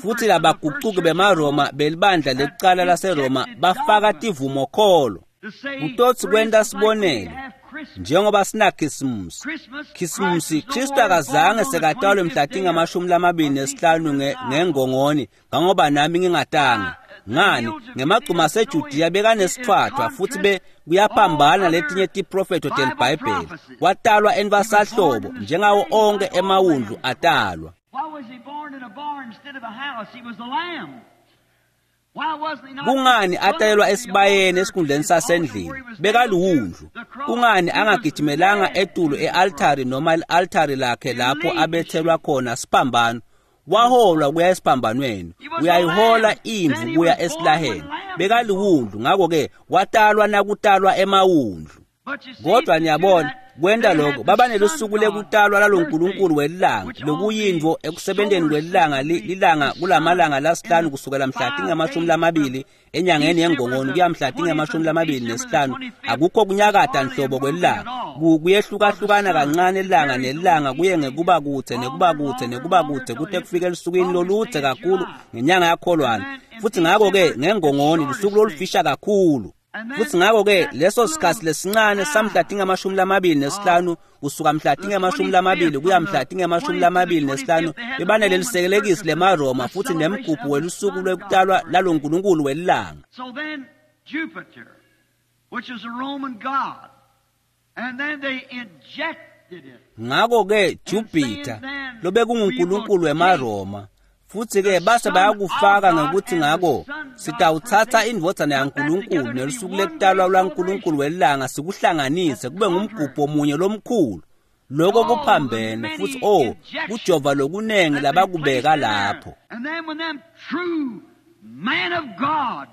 Futhi labagucuki bemaRoma belibandla lekucala laseRoma bafaka tivumokholo. To say, Kutotsi for kwenta instance, like we sibonelo have Christmas. njengoba sinaKhisimusi. Christmas, Khisimusi Christ was no Kristu more akazange born on the sekatalwe mhla 25th day tingamashumi-25 ngengongoni ngangoba nami ngingatanga. Ngani ngemagcuma aseJudiya bekanesithwathwa futhi be kuyaphambana letinye tiprofetho teliBhayibheli. Watalwa entfwasahlobo njengawo onke emawundlu atalwa. Why was he born in a barn instead of a house? He was a lamb. Why wasn't he not Kungani atalelwa the esibayeni altar, esikhundleni his altar sasendlini? where he was Bekaluwundlu. nailed to the cross? Kungani He was angagijimelanga led etulu to the cross. e-altari noma i-altari lakhe lapho abethelwa khona siphambano? Waholwa kuya esiphambanweni. Uyayihola imvu kuya esilaheni. Bekaliwundlu, ngakho-ke watalwa nakutalwa emawundlu. Kodwa niyabona, kwenta lokho baba nelusuku lekutalwa lalonkulunkulu welilanga, lokuyintfo ekusebenteni kwelilanga lilanga kulamalanga lasihlanu kusukela mhla tingamashumi enyangeni yengongoni kuya mhla tingamashumi25, akukho kunyakata nhlobo kwelilanga. Kuyehlukahlukana kancane ilanga nelilanga kuye ngekuba kudze nekuba kudze nekuba kudze kute kufike elusukwini loludze kakhulu ngenyanga yakholwane. Futhi ngakho-ke ngengongoni lusuku lolufisha kakhulu. Futhi ngakho-ke leso sikhathi lesincane samhla tingamashumi25 kusuka mhla tingamashumi kuya mhla tingamashumi25 bebanelelisekelekisi lemaRoma futhi nemgubho welusuku lwekutalwa lalonkulunkulu welilanga. So then Jupiter, which is a Roman god, and then they injected it. Ngakho-ke Jupiter lobekungunkulunkulu wemaRoma, futhi-ke base bayakufaka ngekuthi ngako sitawutsatsa indvodzana yaNkulunkulu nelusuku lekutalwa lwaNkulunkulu welilanga sikuhlanganise kube ngumgubho munye lomkhulu. Lokho kuphambene futhi kujova lokunengi labakubeka lapho. And then when them true man of God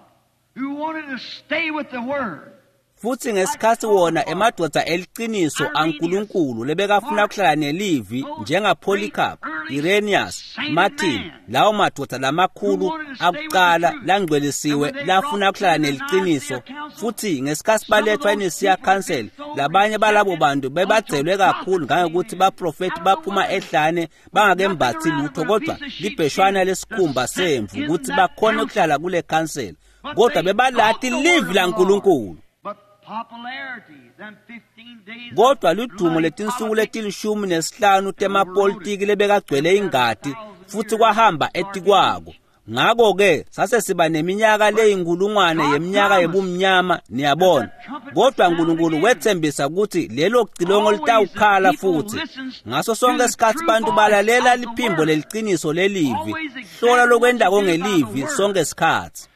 who wanted to stay with the word, Futhi ngesikhathi wona emadvodza eliciniso aNkulunkulu lebekafuna kuhlala nelivi njengaPolycarp, Irenaeus, Martin, lawo madvodza lamakhulu akuqala langcwelisiwe lafuna kuhlala neliciniso. Futhi ngesikhathi balethwa eNicea Council, labanye balabo bantu bebadzelwe kakhulu ngangokuthi baprofethi baphuma ehlane bangakembathi lutho kodwa libheshwana lesikhumba semvu ukuthi bakhone ukuhlala kule council, kodwa bebalati livi laNkulunkulu. Kodwa ludumo letinsuku leti-15 temapolitiki lebekagcwele ingati futhi kwahamba etikwako. Ngakho-ke sase siba neminyaka leyinkulungwane yeminyaka yebumnyama, niyabona. Kodwa uNkulunkulu wethembisa ukuthi lelo cilongo litawukhala futhi. Ngaso sonke isikhathi bantu balalela liphimbo leliciniso lelivi, hlola lokwendako ngelivi sonke isikhathi.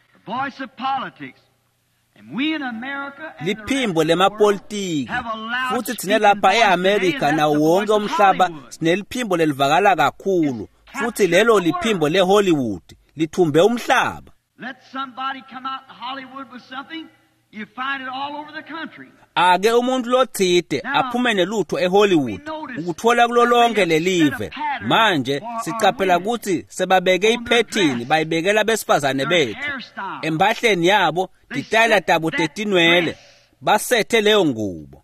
Liphimbo lemapolitiki, futhi thina lapha eAmerica nawo wonke umhlaba sineliphimbo lelivakala kakhulu, futhi lelo liphimbo leHollywood lithumbe umhlaba. Ake umuntu lothide aphume nelutho eHollywood ukuthola kulo lonke lelive. Manje sicaphela ukuthi sebabeke iphethini bayibekela besifazane bethu empahleni yabo, titayela tabo tetinwele, basethe leyo ngubo.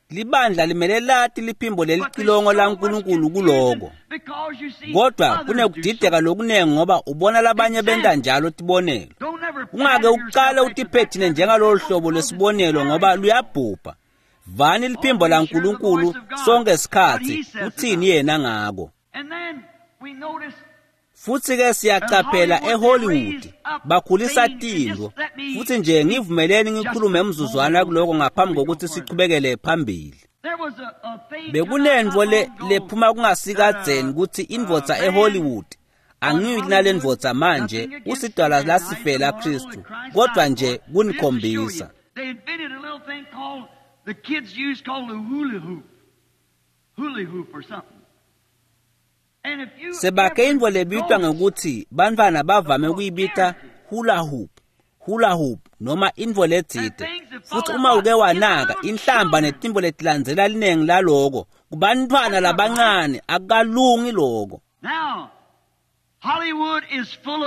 Libandla limele lati liphimbo lelicilongo laNkulunkulu kuloko. Kodwa kunekudideka lokunengi ngoba ubona labanye benta njalo tibonelo. Ungake uqale utiphethine njengalolu hlobo lesibonelo ngoba luyabhubha. Vani liphimbo laNkulunkulu sonke isikhathi, uthini yena ngako. Futhi-ke siyacaphela eHollywood bakhulisa tintfo. Futhi nje ngivumeleni ngikhulume emzuzwana kuloko ngaphambi kokuthi sichubekele phambili. Bekunentfo lephuma kungasikadzeni ukuthi indvodza eHollywood, angiyi nale ndvodza manje, usidalwa lasifela Kristu, kodwa nje kunikhombisa. Sebakhe intfo lebitwa ngekuthi bantfwana bavame ukuyibita hula hoop, hula hoop noma intfo letsite. Futhi uma uke wanaka inhlamba netintfo letilandzela linengi laloko kubantfwana labancane akukalungi loko. Now, Hollywood is full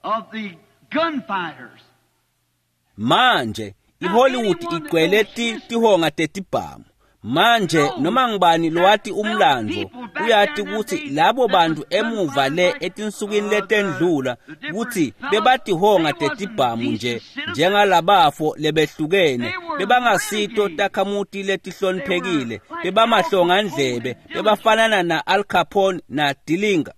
of the gunfighters. Manje iHollywood igcwele tihonga tetibhamu. Manje noma ngibani lowati umlando uyati ukuthi labo bantu emuva le etinsukwini letendlula ukuthi bebatihonga tetibhamu nje njengalabafo lebehlukene, bebangasito takhamuti letihloniphekile, bebamahlongandlebe, bebafanana na Al Capone na Dillinger.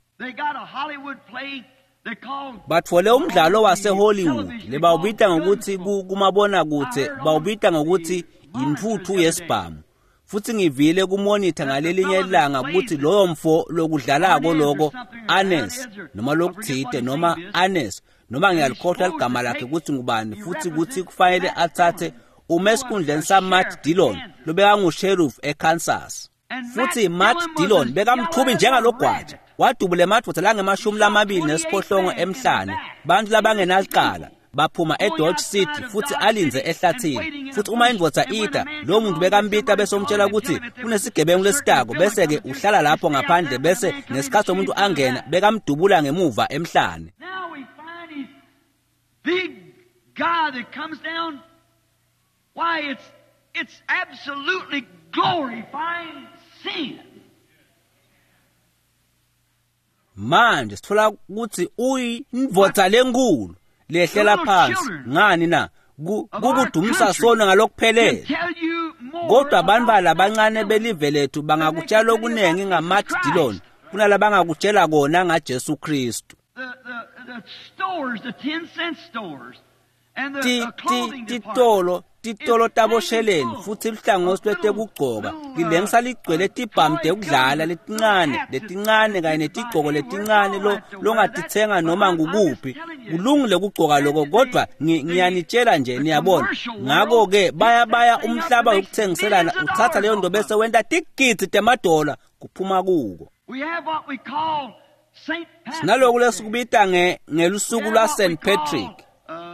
Batfole umdlalo waseHollywood lebawubita ngokuthi kumabonakudze bawubita ngokuthi intfutfu yesibhamu. Futhi ngivile kumonitha ngalelinye ilanga ukuthi loyo mfo lokudlalako loko Anes noma lokuthide noma Anes noma ngiyalikhohlwa ligama lakhe ukuthi ngubani, futhi ukuthi kufanele athathe ume esikhundleni saMatt Dillon lobekangusherif eKansas. Futhi Matt Dillon bekamthubi njengalogwaja. Wadubula emadvodza langemashumi lamabili nesiphohlongo emhlane, bantfu labangenalicala. Baphuma eDodge City futhi alindze ehlathini. Futhi uma indvodza ita, lowo muntu bekambita bese umtshela ukuthi kunesigebengu lesitako, bese-ke uhlala lapho ngaphandle, bese ngesikhathi umuntu angena bekamdubula ngemuva emhlane. Now we find he's big guy that comes down. Why, it's absolutely glorifying sin. Manje sithola ukuthi uyindvodza lenkulu lehlela phansi. Ngani na? Kukudumisa sona ngalokuphelele. Kodwa abantu labancane belive lethu bangakutshela okuningi ngaMatt Dillon kunalabangakutshela kona ngaJesu Kristu. The stores, the 10-cent stores, and the clothing Titolo titolo tabosheleni futhi luhlangothi lwetekugcoka lilengisa ligcwele tibhamu tekudlala letincane kanye netigcoko letincane longatitsenga noma ngukuphi. Kulungile kugcoka lokho, kodwa ngiyanitshela nje, niyabona. Ngakho-ke bayabaya umhlaba wokuthengiselana, uthatha leyo nto bese wenta tigidzi temadola kuphuma kuko. We have what we call St. Patrick's Sinaloku Day. lesikubita ngelusuku lwa St. Patrick.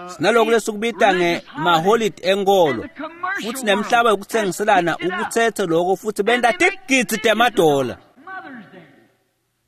Sinaloku lesikubita ngemaholide enkolo, futhi nemhlaba wokuthengiselana ukuthethe lokho futhi benta tigidzi temadola. Mother's Day.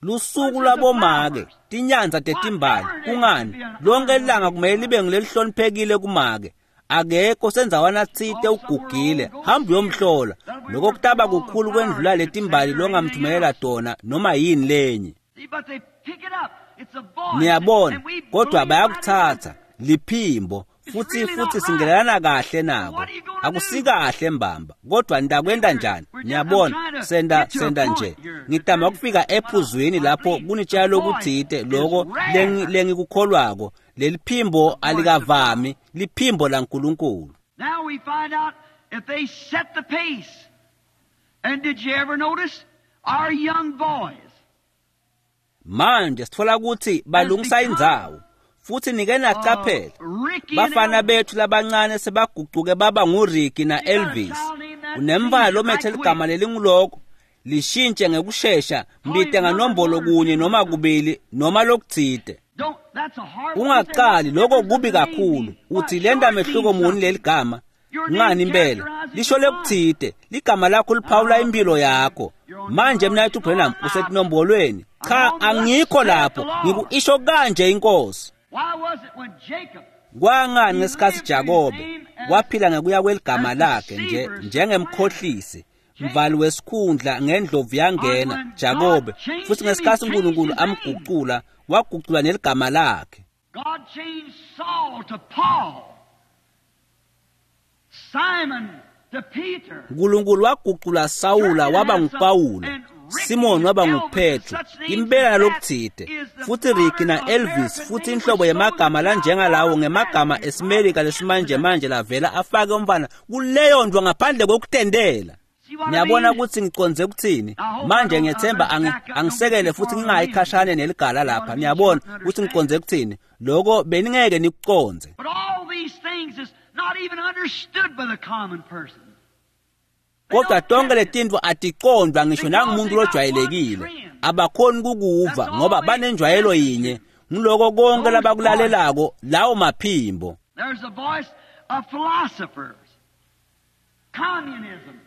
Lusuku lwabomake, tinyanza tetimbali. Kungani? Lonke ilanga kumele libe ngilelihloniphekile kumake. Akekho sendzawana tsite ugugile, hamba uyomhlola. Lokho kutaba kukhulu kwendlula letimbali longamthumelela tona noma yini lenye. See, but they pick it up. It's a voice. Niyabona, And we kodwa believe bayakuthatha liphimbo futhi futhi singelana kahle nako. Akusikahle mbamba, kodwa nitakwenta njani? Niyabona, senda nje. Ngitama kufika ephuzwini lapho kunitshela lokutsite loko lengikukholwako. Leliphimbo alikavami, liphimbo laNkulunkulu. Now we find out if they set the pace. And did you ever notice our young boys? Manje sithola ukuthi balungisa indzawo futhi nike naqaphela. Ricky and Bafana Elvis. bethu labancane sebagucuke baba nguRicky na-Elvis. Unemva lomethe ligama lelinguloko lishintshe ngekushesha, mbite nganombolo kunye noma kubili noma lokutsite. Don't, that's a hard Ungaqali lokho kubi kakhulu. Uthi lenta mehluko muni leligama? Ngani impela lisho lekutsite, ligama lakho liphawula impilo yakho. Manje mina Branham usetinombolweni. Cha, angikho lapho, ngikuisho kanje inkosi. Why was it when Jacob Kwangani ngesikhathi Jakobe waphila ngekuya kweligama lakhe nje njengemkhohlisi, mvali wesikhundla ngendlovu yangena Jakobe, futhi ngesikhathi uNkulunkulu amgucula, wagucula neligama lakhe. God changed Saul to Paul, Simon to Peter. uNkulunkulu wagucula Sawula waba nguPawula, Simon waba nguPetro, impela nalokutsite. Futhi Ricky na-Elvis futhi inhlobo yemagama lanjengalawo ngemagama esiMelika lesimanje manje lavela afake umfana kuleyo ndwa ngaphandle kokutendela. See what I Niyabona mean? ukuthi ngiconze ukuthini? Manje ngiyethemba angisekele futhi ngingayikhashane neligala lapha. Niyabona ukuthi ngiconze ukuthini? Lokho beningeke nikuconze. But all these things is not even understood by the common person. Kodwa tonke letintfo aticondvwa ngisho nangumuntu lojwayelekile. Abakhoni kukuva ngoba banenjwayelo yinye. Ngiloko konke labakulalelako lawo maphimbo. There's a voice of philosophers, communism,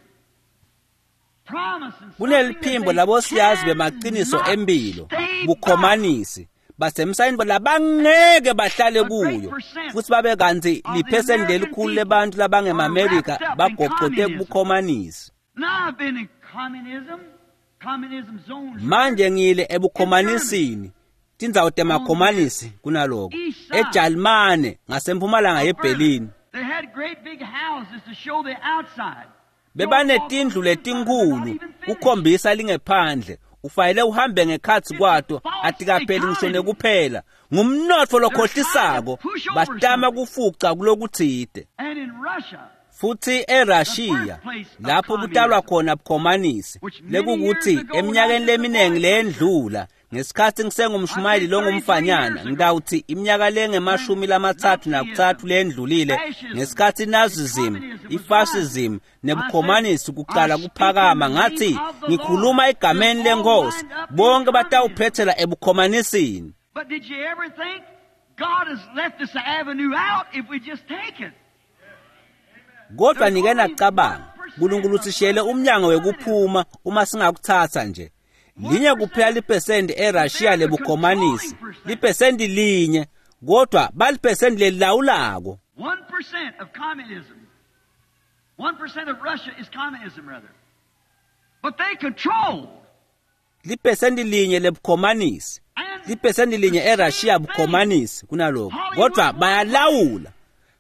promising something Kuneliphimbo that they labosiyazi bemaqiniso cannot empilo, stay by. bukhomanisi, basemsayini labangeke bahlale kuyo, futhi babe kanti liphesenti lelikhulu lebantu labangemaMelika bagocote kubukhomanisi. Now I've been in communism, communism zones. Manje ngile ebukhomanisini, tindzawo temakhomanisi kunaloko, eJalimane ngasempumalanga yeBerlin. They had great big houses to show the outside. Bebanetindlu letinkhulu kukhombisa lingephandle, ufanele uhambe ngekhatsi kwato, atikapheli ngisho nekuphela. Ngumnotfo lokhohlisako, batama kufuca kulokutsite. And in Russia, Futhi eRussia lapho kutalwa khona bukhomanisi, lekukuthi eminyakeni leminingi leyendlula Ngesikhatsi ngisengumshumayeli longumfanyana, ngitawutsi iminyaka lengama-33 lendlulile, ngesikhatsi Nazism, ifascism nebukhomanisi kuqala kuphakama, ngathi ngikhuluma egameni lenkosi, bonke batawuphethela ebukhomanisini. But did you ever think God has left us an avenue out if we just take it? Kodwa nike nacabanga, uNkulunkulu usishiyele umnyango wekuphuma uma singakutsatsa nje. Linye kuphela liphesenti eRussia lebukhomanisi, liphesenti linye, kodwa baliphesenti lelilawulako. 1% of communism. 1% of Russia is communism, rather. But they control. Liphesenti linye lebukhomanisi, liphesenti linye eRussia bukhomanisi kunaloko, kodwa bayalawula.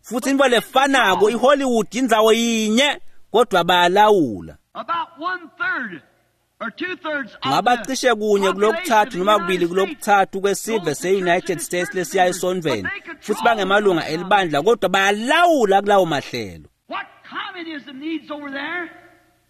Futhi into lefanako iHollywood indzawo yinye, kodwa bayalawula. About 1/3 or 2/3 of Ngaba the cishe kunye kulokuthathu noma kubili population of the United kulokuthathu kwesive se-United States lesiya esontfweni, futhi bangemalunga elibandla, kodwa bayalawula kulawo mahlelo. What communism needs over there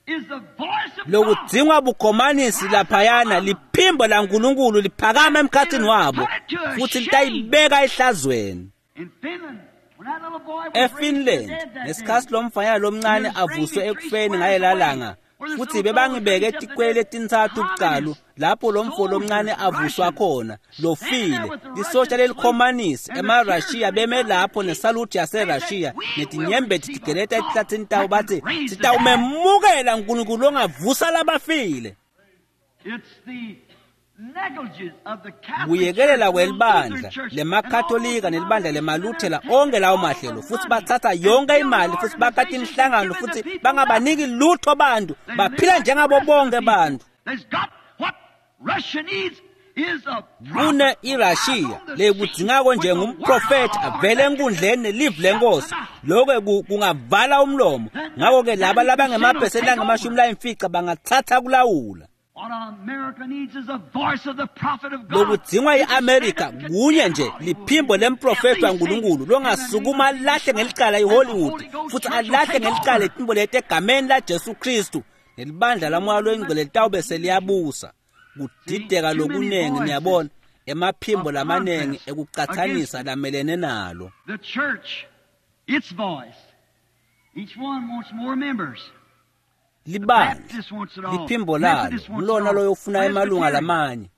is the voice of God. Lokudzingwa bukhomanisi laphayana liphimbo laNkulunkulu liphakama emkhatsini wabo futhi litayibeka ehlazweni. In Finland, when that little boy was raised from the eFinland dead that ngesikhatsi day, lomfanyana lomncane avuswe ekufeni ngalela langa, futhi bebangibeke etikwele letintsatfu bucalu lapho lomfo lomncane avuswa khona lofile, lisosha lelikhomanisi emaRussia beme lapho nesaluthi yaseRussia netinyembeti tigeleta etihlathini tabo, bathi sitawumemukela uNkulunkulu longavusa labafile. It's the negligence of the Catholic Kuyekelela Church, the kwelibandla Lutheran Church, lemakatholika and all those nelibandla denominations lemaluthela, that onke lawo take all mahlelo, the futhi money bathatha and yonke build imali futhi bakha organizations tinhlangano and giving futhi the people bangabaniki lutho bantu, They live baphila like njengabo the rest of the bonke people. bantu. There's got what Russia needs is a Kune prophet iRussia on the lekudzingako scene nje with the ngumprofethi word avele enkundleni nelivi lenkosi, lokho kungavala umlomo. Ngakho-ke laba labangemaphesenti angamashumi layimfica bangatsatsa kulawula. What America needs is the voice of the prophet of God. Lokudzingwa i-Amerika kunye nje liphimbo lemprofethi waNkulunkulu longasukuma alahle ngelicala iHollywood futhi alahle ngelicala iphimbo leti egameni laJesu Kristu, nelibandla lamoya loyingcwele litawube seliyabusa. Kudideka lokunengi, niyabona, emaphimbo lamanengi ekucatsanisa lamelene nalo. The church, its voice. Each one wants more members. Libandla Baptist wants it all. liphimbo lalo Methodist wants it ngulona all. loyofuna emalunga Presbyterian. lamanye.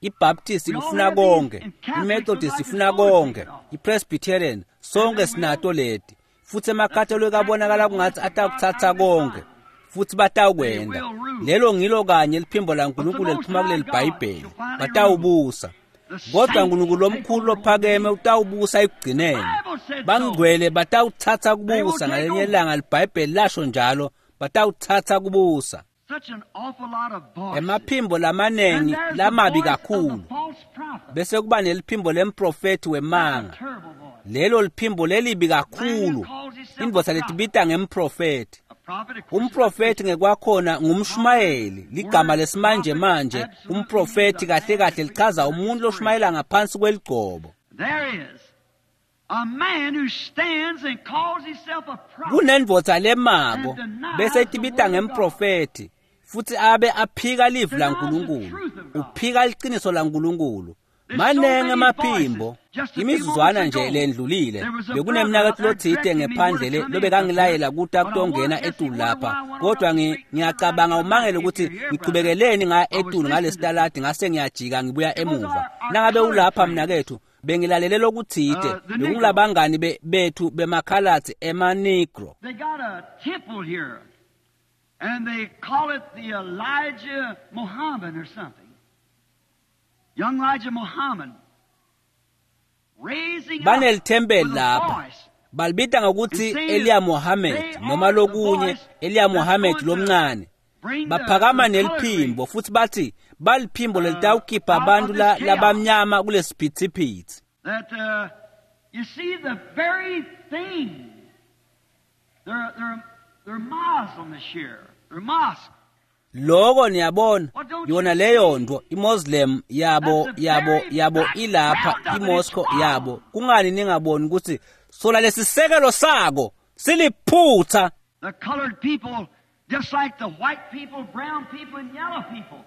IBaptist ifuna konke, iMethodist ifuna konke, iPresbyterian, sonke sinato leti. Futhi emakatholika abonakala kungathi atakutsatsa konke, futhi batawukwenda. Lelo ngilo kanye liphimbo laNkulunkulu eliphuma kuleli Bhayibheli, batawubusa. Kodwa uNkulunkulu omkhulu lophakeme utawubusa ekugcineni. Bangcwele batawutsatsa kubusa ngalenye ilanga, liBhayibheli lasho njalo, batawutsatsa kubusa. Such an awful lot of voices. Emaphimbo And lamanengi there's the lamabi voice of the kakhulu. false prophet. Bese kuba neliphimbo lemprofethi That's a wemanga. terrible voice. Lelo liphimbo lelibi kakhulu. Indvodza letibita ngemprofethi. A prophet, of course, Umprofethi ngekwakhona ngumshumayeli, ligama lesimanje manje umprofethi kahle kahle lichaza umuntu loshumayela ngaphansi kweligcobo. There is a man who stands and calls himself a prophet. Kunendvodza lemako bese itibita ngemprofethi futhi abe aphika livi laNkulunkulu, uphika liqiniso laNkulunkulu. Manengi emaphimbo. Imizuzwana nje lendlulile bekunemnaketfu lotsite ngephandle le lobekangilayela ukuthi akutongena etulu lapha, kodwa ngiyacabanga umangele ukuthi ngichubekeleni ngaya etulu ngalesitaladi ngase ngiyajika ngibuya emuva. Nangabe ulapha mnaketfu, bengilalele lokutsite, bekungulabangani bethu bemakhalatsi emaNegro. They got a temple here, and they call it the Elijah Muhammad or something. Young Elijah Muhammad. Raising up Banelithempeli with a lapha, voice. balibita ngokuthi Eliya Mohammed noma lokunye, Eliya Mohammed lomncane. Bring the- Baphakama the colored neliphimbo futhi bathi baliphimbo lelitawukhipha abantu labamnyama kulesiphithiphithi. That you see the very thing. They're Muslim here. They're mosque. Loko niyabona, yona leyo nto iMoslem yabo yabo yabo ilapha, iMoscow yabo. Kungani ningaboni ukuthi sola lesisekelo sako siliphutha? The colored people, just like the white people, brown people, and yellow people.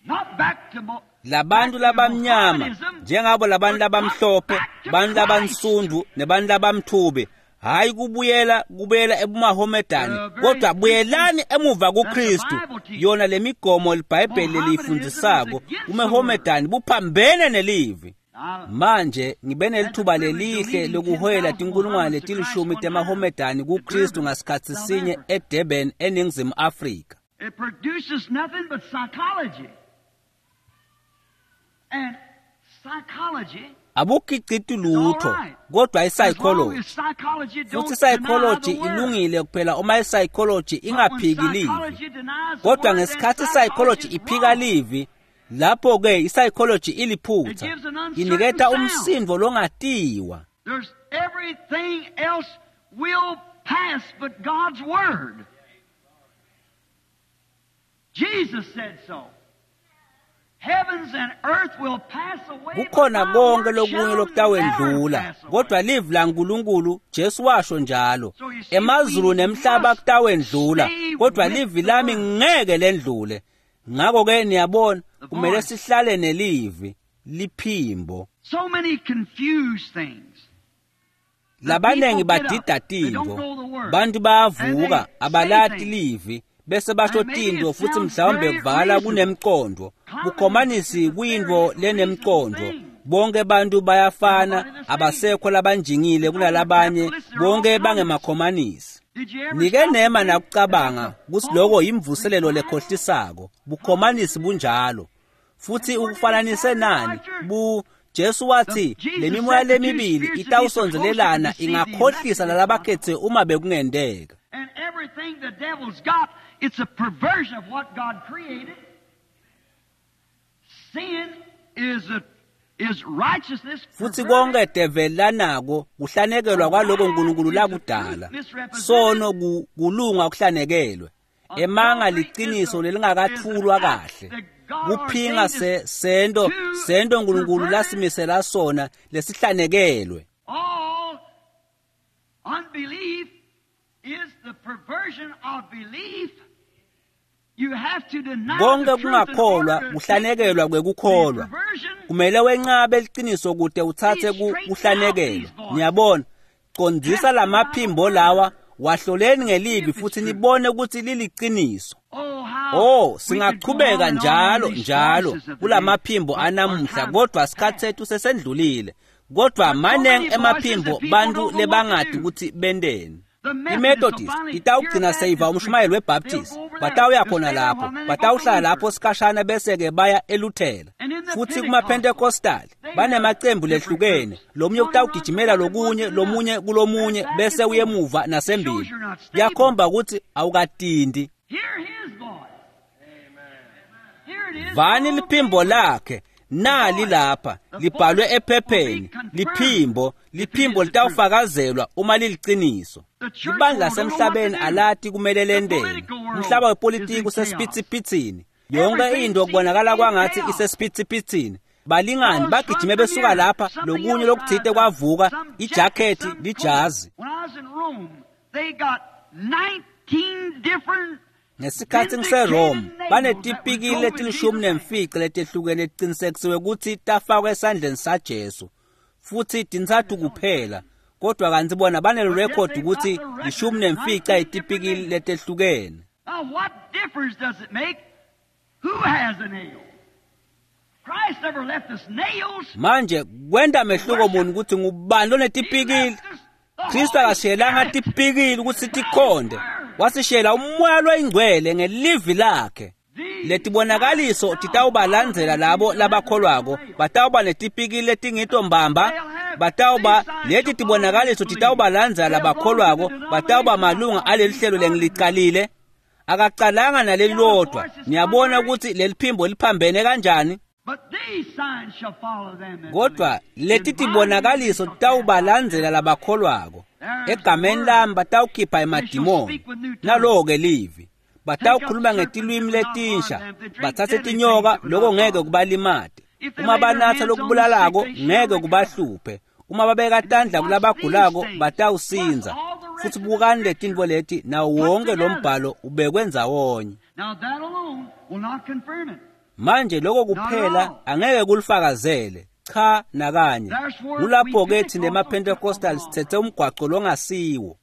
Not back to Labantu labamnyama njengabo labantu labamhlophe, bantu labansundu nebantu labamthubi, hayi kubuyela kubuyela ebumahomedani, kodwa buyelani emuva kuKristu. Yona lemigomo liBhayibheli leliyifundzisako kumehomedani buphambene nelivi. Manje ngibe nelithuba lelihle lokuhoyela tinkulungwane letilishumi temahomedani kuKristu ngasikhatsi sinye eDurban eNingizimu Afrika. It produces nothing but psychology. And psychology Abukhiciti lutho kodwa as long i-psychology. as psychology don't Futhi i-psychology deny the word. ilungile kuphela uma i-psychology But when ingaphiki livi. psychology denies the Kodwa word, then ngesikhathi i-psychology psychology is iphika wrong. livi, lapho-ke i-psychology iliphutha, It gives an uncertain iniketa sound. umsindo longatiwa. There's everything else will pass but God's word. Jesus said so. Heavens and earth will pass away, but Kukhona my konke word lokunye shall never lokutawendlula, pass away. kodwa livi laNkulunkulu Jesu washo njalo. So you see, Emazulu we nemhlaba must kutawendlula, stay kodwa with livi the lami word. ngeke lendlule. Ngakho-ke niyabona, The kumele voice. sihlale nelivi, liphimbo. So many confused things. The Labanengi people get up. badida They don't tintfo. know the word. Bantu And bayavuka, they say abalati things. livi, bese basho And maybe tintfo it futhi sounds mhlawumbe very kuvala reasonable. kunemqondo. Bukhomanisi Communism is a kuyintfo very lenemqondo. reasonable thing. Bonke bantu bayafana, Everybody the same. abasekho labanjingile It's only kunalabanye, capitalists, they're all bonke communists. bangemakhomanisi. Did you ever Nike stop to nema think that nakucabanga that's a kutsi loko false yimvuselelo revival? lekhohlisako. Bukhomanisi bunjalo. Futhi And where did it ukufananise start nani? after? Bu Jesu wathi The Jesus lemimoya said the two lemibili spirits would be so close they could itawusondzelelana deceive the elect ingakhohlisa if possible. nalabakhethe uma bekungenteka. And everything the devil's got, it's a perversion of what God created. Sin is righteousness Futhi konke perverted. develi lanako kuhlanekelwa A kwaloko lie uNkulunkulu is the truth lakudala. misrepresented. Sono kulunga kuhlanekelwe. Emanga Adultery is liciniso the is an lelingakathulwa act kahle. that God Kuphinga ordained se us sento to sento uNkulunkulu pervert it. lasimisela sona lesihlanekelwe. All unbelief is the perversion of belief. You have to deny Konke the truth in order kungakholwa to take kuhlanekelwa the kwekukholwa. perversion. Kumele wenqabe liciniso kute uthathe See, straighten out kuhlanekelwa. these voices. Niyabona, condzisa Test the Bible lamaphimbo word. lawa, wahloleni See ngelivi if it's futhi true. nibone ukuthi liliciniso. Oh, how Oh, we could go on singachubeka and on in njalo these njalo voices of the day, kulamaphimbo but our anamuhla, time kodwa isikhathi passed. sethu sesendlulile. Kodwa But so manengi many voices emaphimbo that people bantu don't know what to lebangati do. ukuthi benteni. The Methodists will I-Methodist finally hear a itawugcina seyiva Baptist umshumayeli preacher. They'll weBaptist. go over there. Batawuya They'll khona stay there a lapho, while, and then they go to batawuhlala lapho Luther. sikhashana bese-ke baya eLuthela. And in the Futhi Pentecostals, kuma-Pentecostal they have banemacembu different lehlukene. groups. Lomunye One runs kutawugijimela one and one lokunye, to another, lomunye and kulomunye back and bese forth. uyemuva Shows nasembili. you're not stable. Kuyakhomba ukuthi awukatindi. Hear his voice. Here it is Vani on liphimbo paper. lakhe The nali voice. lapha The libhalwe voice will be ephepheni confirmed liphimbo if it liphimbo is the truth. litawufakazelwa uma liliciniso. The church Libandla world don't know what to lasemhlabeni do. alati kumele The lenteni. political world Umhlaba is in wepolitiki chaos. usesiphithiphithini. Yonke Everything into seems to kubonakala be in kwangathi chaos. isesiphithiphithini. Balingani Fellows run bagijime from besuka here, lapha something lokunye else lokuthite rises up, kwavuka some jacket, ijakhethi some coat. lijazi. When I was in Rome, they got 19 different Ngesikhathi ngiseRome, vindicated nails that was banetipikili drove in letilishumi Jesus' hand. nemfica letehlukene lecinisekisiwe kutsi tafakwa esandleni saJesu. Futhi tintsatfu kuphela, kodwa kantsi bona But yet banelirekhodi they've got kutsi the record lishumi of nemfica 19 different yetipikili nails. letehlukene. Now, what difference does it make who has a nail? Christ never left us nails Manje kwenta to mehluko worship. muni kutsi ngubani He lonetipikili? left us the Kristu Holy akashiyelanga Spirit, tipikili kutsi His tikhonde, Word. wasishiyela umoya loyingcwele ngelivi lakhe. These signs Letibonakaliso shall follow titawubalandzela them labo who shall have the labakholwako, nail. batawuba netipikili letingito mbamba, They'll have these batawuba signs leti shall follow them tibonakaliso who believe. titawubalandzela They'll go into the labakholwako, batawuba denominations malunga of these alelihlelo started them. lengiliqalile. Akacalanga The other nalelilodwa. voice is Niyabona contrary. ukuthi leli phimbo liphambene kanjani? But these signs shall follow them that Kodwa believe. leti In my name they tibonakaliso shall cast out titawubalandzela devils. labakholwako. There's the Egameni word. lami batawukhipha They shall emadimoni. speak with new tongues. Nalowo-ke livi. Take up Batawukhuluma serpents that ngetilwimi will not harm letinsha, them. If they drink batsatse deadly things tinyoka, that will loko not ngeke harm them. kubalimate. If they Uma lay their banatsa hands on the sick, lokubulalako, they shall ngeke recover. kubahluphe. Uma babeka And tandla watch these kulabagulako, things, plus batawusindza. all the rest Futhi of the bukani scripture letintfo leti, nawo put wonke lo together. mbhalo ubekwe ndzawonye. Now that alone will not confirm it. Manje lokho kuphela angeke kulifakazele. Cha nakanye. Kulapho-ke thina emaPentecostal sithethe umgwaco longasiwo.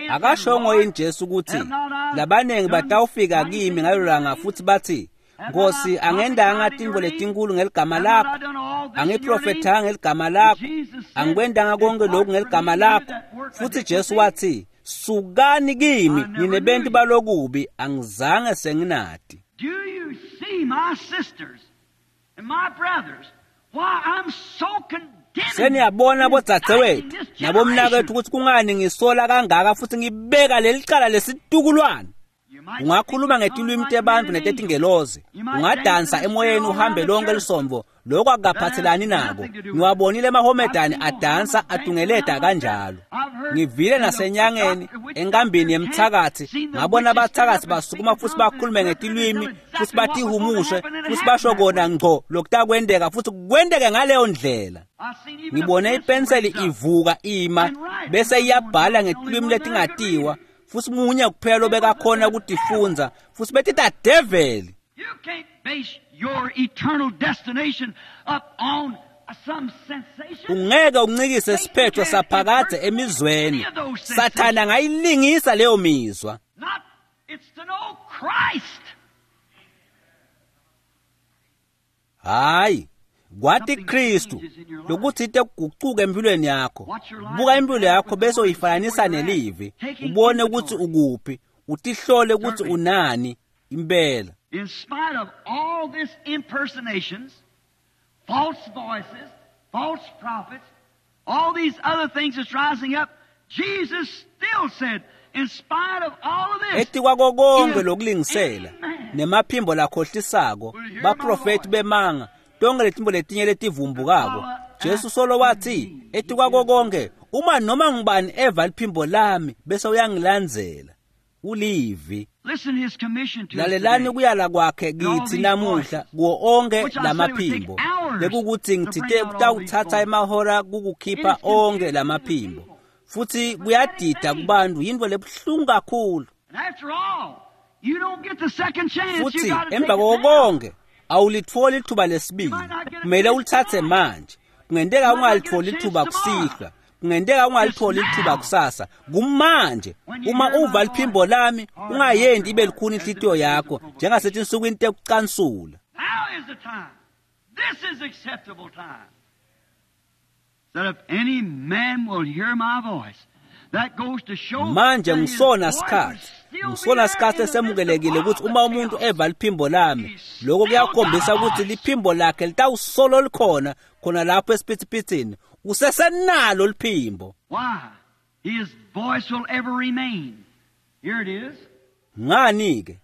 Akashongo yini Jesu ukuthi labaningi batawufika kimi ngalelo langa futhi bathi, Nkosi, angendanga tintfo letinkulu ngeligama lakho, angiprofethanga ngeligama lakho, angikwendanga konke lokhu ngeligama lakho. Futhi Jesu wathi, sukani kimi nine bentu balokubi, angizange senginati. Do you see my sisters and my brothers why I'm so condemning? Seniyabona bodzadzewethu nabomnakethu ukuthi kungani ngisola kangaka futhi ngibeka lelicala lesitukulwane. Ungakhuluma ngetilwimi tebantu netetingelozi, ungadansa emoyeni uhambe lonke lisombo, lokho akukaphathelani nako. Ngiwabonile emahomedani adansa atungeleda kanjalo. Ngivile nasenyangeni enkambini yemthakathi, ngabona abathakathi basukuma futhi bakhulume ngetilwimi futhi batihumushe futhi basho kona ngco lokutakwendeka futhi kwendeke ngaleyo ndlela. Ngibone ipenseli ivuka ima bese iyabhala ngetilwimi letingatiwa, futhi munye kuphela lobekakhona ukutifundza futhi betita devil. You can't base your eternal destination up on some sensation. Ungeke uncikise isiphetho saphakadze emizweni. Sathana angayilingisa leyo mizwa. Not, it's to know Christ. Hayi, kwati Kristu lokuthi kuguquke empilweni yakho. Buka impilo yakho bese uyifananisa nelivi, ubone ukuthi ukuphi, utihlole ukuthi unani impela. In spite of all these impersonations, false voices, false prophets, all these other things that's rising up, Jesus still said, in spite of all of this, etikwako konke lokulingisela nemaphimbo lakhohlisako, baprofeti bemanga, tonke letimbo letinye letivumbukako, Jesu solo wathi etikwako konke, uma noma ngubani eva liphimbo lami bese uyangilandzela. Ulivi. Listen his commission to us Lalelani today. kuyala kwakhe kithi namuhla kuwo onke lamaphimbo, lekukuthi ngithite kutawuthatha emahora kukukhipha onke lamaphimbo, futhi kuyadida kubantu, yintfo lebuhlungu kakhulu. And after all, you don't get the second chance. You Futhi gotta take emva it now. konke awulitfoli ithuba lesibili, kumele ulithathe manje. Kungenteka ungalitholi ithuba kusihlwa, kungenteka ungalitholi ithuba kusasa, kumanje. Uma uva liphimbo lami, ungayendi ibe lukhuni inhlitiyo yakho njengasetinsukwini tekucansula. Now is the time. This is acceptable time. That if any man will hear my voice, that goes to show Manje that his ngisona voice sikhathi, will still be ngisona there sikhathi in the midst of esemukelekile all ukuthi the uma umuntu chaos. eva liphimbo lami, lokho kuyakhombisa ukuthi liphimbo lakhe litawusolo likhona khona lapho esiphithiphithini, usesenalo liphimbo. Why? His voice will ever remain. Here it is. Ngani ke?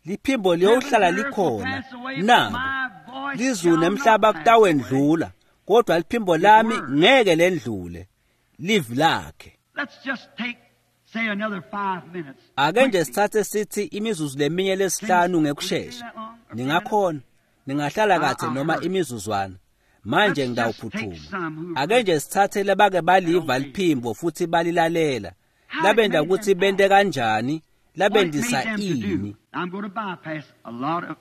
Liphimbo liyohlala likhona. Nako lizulu nemhlaba kutawendlula, kodwa liphimbo lami ngeke lendlule. Livi lakhe. Let's just take, say, another 5 minutes. Ake nje sithathe sithi imizuzu leminye lesihlanu ngekushesha. Ningakhona, ningahlala kahle noma imizuzwana. Manje ngidawuphuthuma. Ake nje sithathe labake baliva liphimbo futhi balilalela. Labenda ukuthi bente kanjani, What it made labendisa them to ini. do. I'm going to bypass a lot of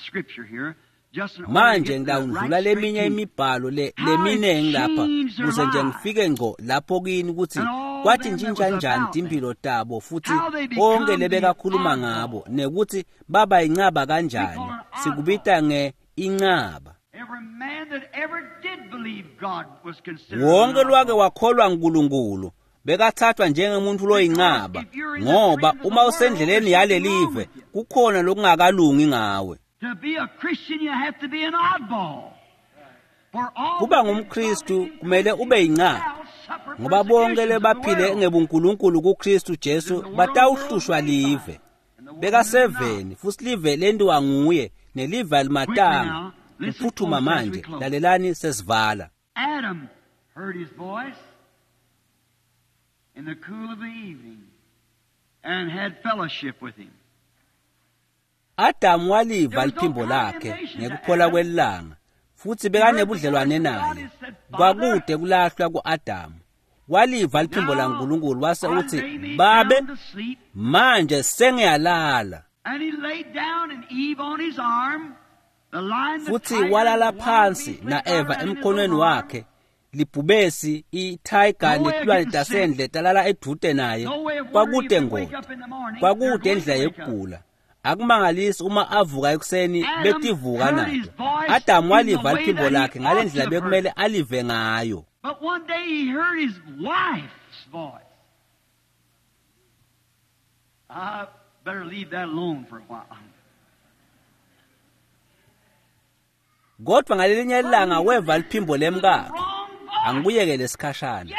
scripture here just in order to Manje get the ngidawundlula right straight leminye to you. imibhalo le How it leminengi lapha changed their kuze nje lives. ngifike ngqo lapho kini ukuthi And all kwathi them that ntshintsha was njani about them. timpilo tabo futhi How they become bonke the lebekakhuluma oddball. ngabo nekuthi baba incaba kanjani. We call it oddball. Sikubita nge incaba. Every man that ever did believe God was considered Wonke an lwake oddball. wakholwa nguNkulunkulu bekathathwa njengemuntu loyincaba, ngoba uma usendleleni yalelive kukhona lokungakalungi ngawe. To be a Christian, you have to be an oddball. For all Kuba that ngumKristu is kumele ube yincaba, shall suffer ngoba bonke persecutions of the lebaphile world. ngebuNkulunkulu kuKristu Jesu batawuhlushwa live. Bekaseveni futhi live lentiwa nguye nelive alimatanga. Kuphuthuma manje, lalelani sesivala. Adam heard his voice in the cool of the evening and had fellowship with him. Adamu waliva liphimbo lakhe ngekuphola kwelanga futhi bekanebudlelwane naye. Kwakude kulahlwa ku-Adamu. Waliva liphimbo laNkulunkulu wase I uthi, lay me "Babe, down to sleep. manje sengiyalala." Futhi walala phansi na-Eva emkhonweni wakhe, libhubesi i-tiger netilwane tasendle talala edvute naye. Kwakude ngoti, kwakude indlela yekugula. Akumangalisi uma avuka ekuseni betivuka nato. Adamu waliva liphimbo lakhe ngale ndlela bekumele alive ngayo. But one day he heard his wife's voice. I better leave that alone for a while. Kodwa ngalelinye ilanga weva liphimbo lemkakhe. Angikuyekele sikhashana.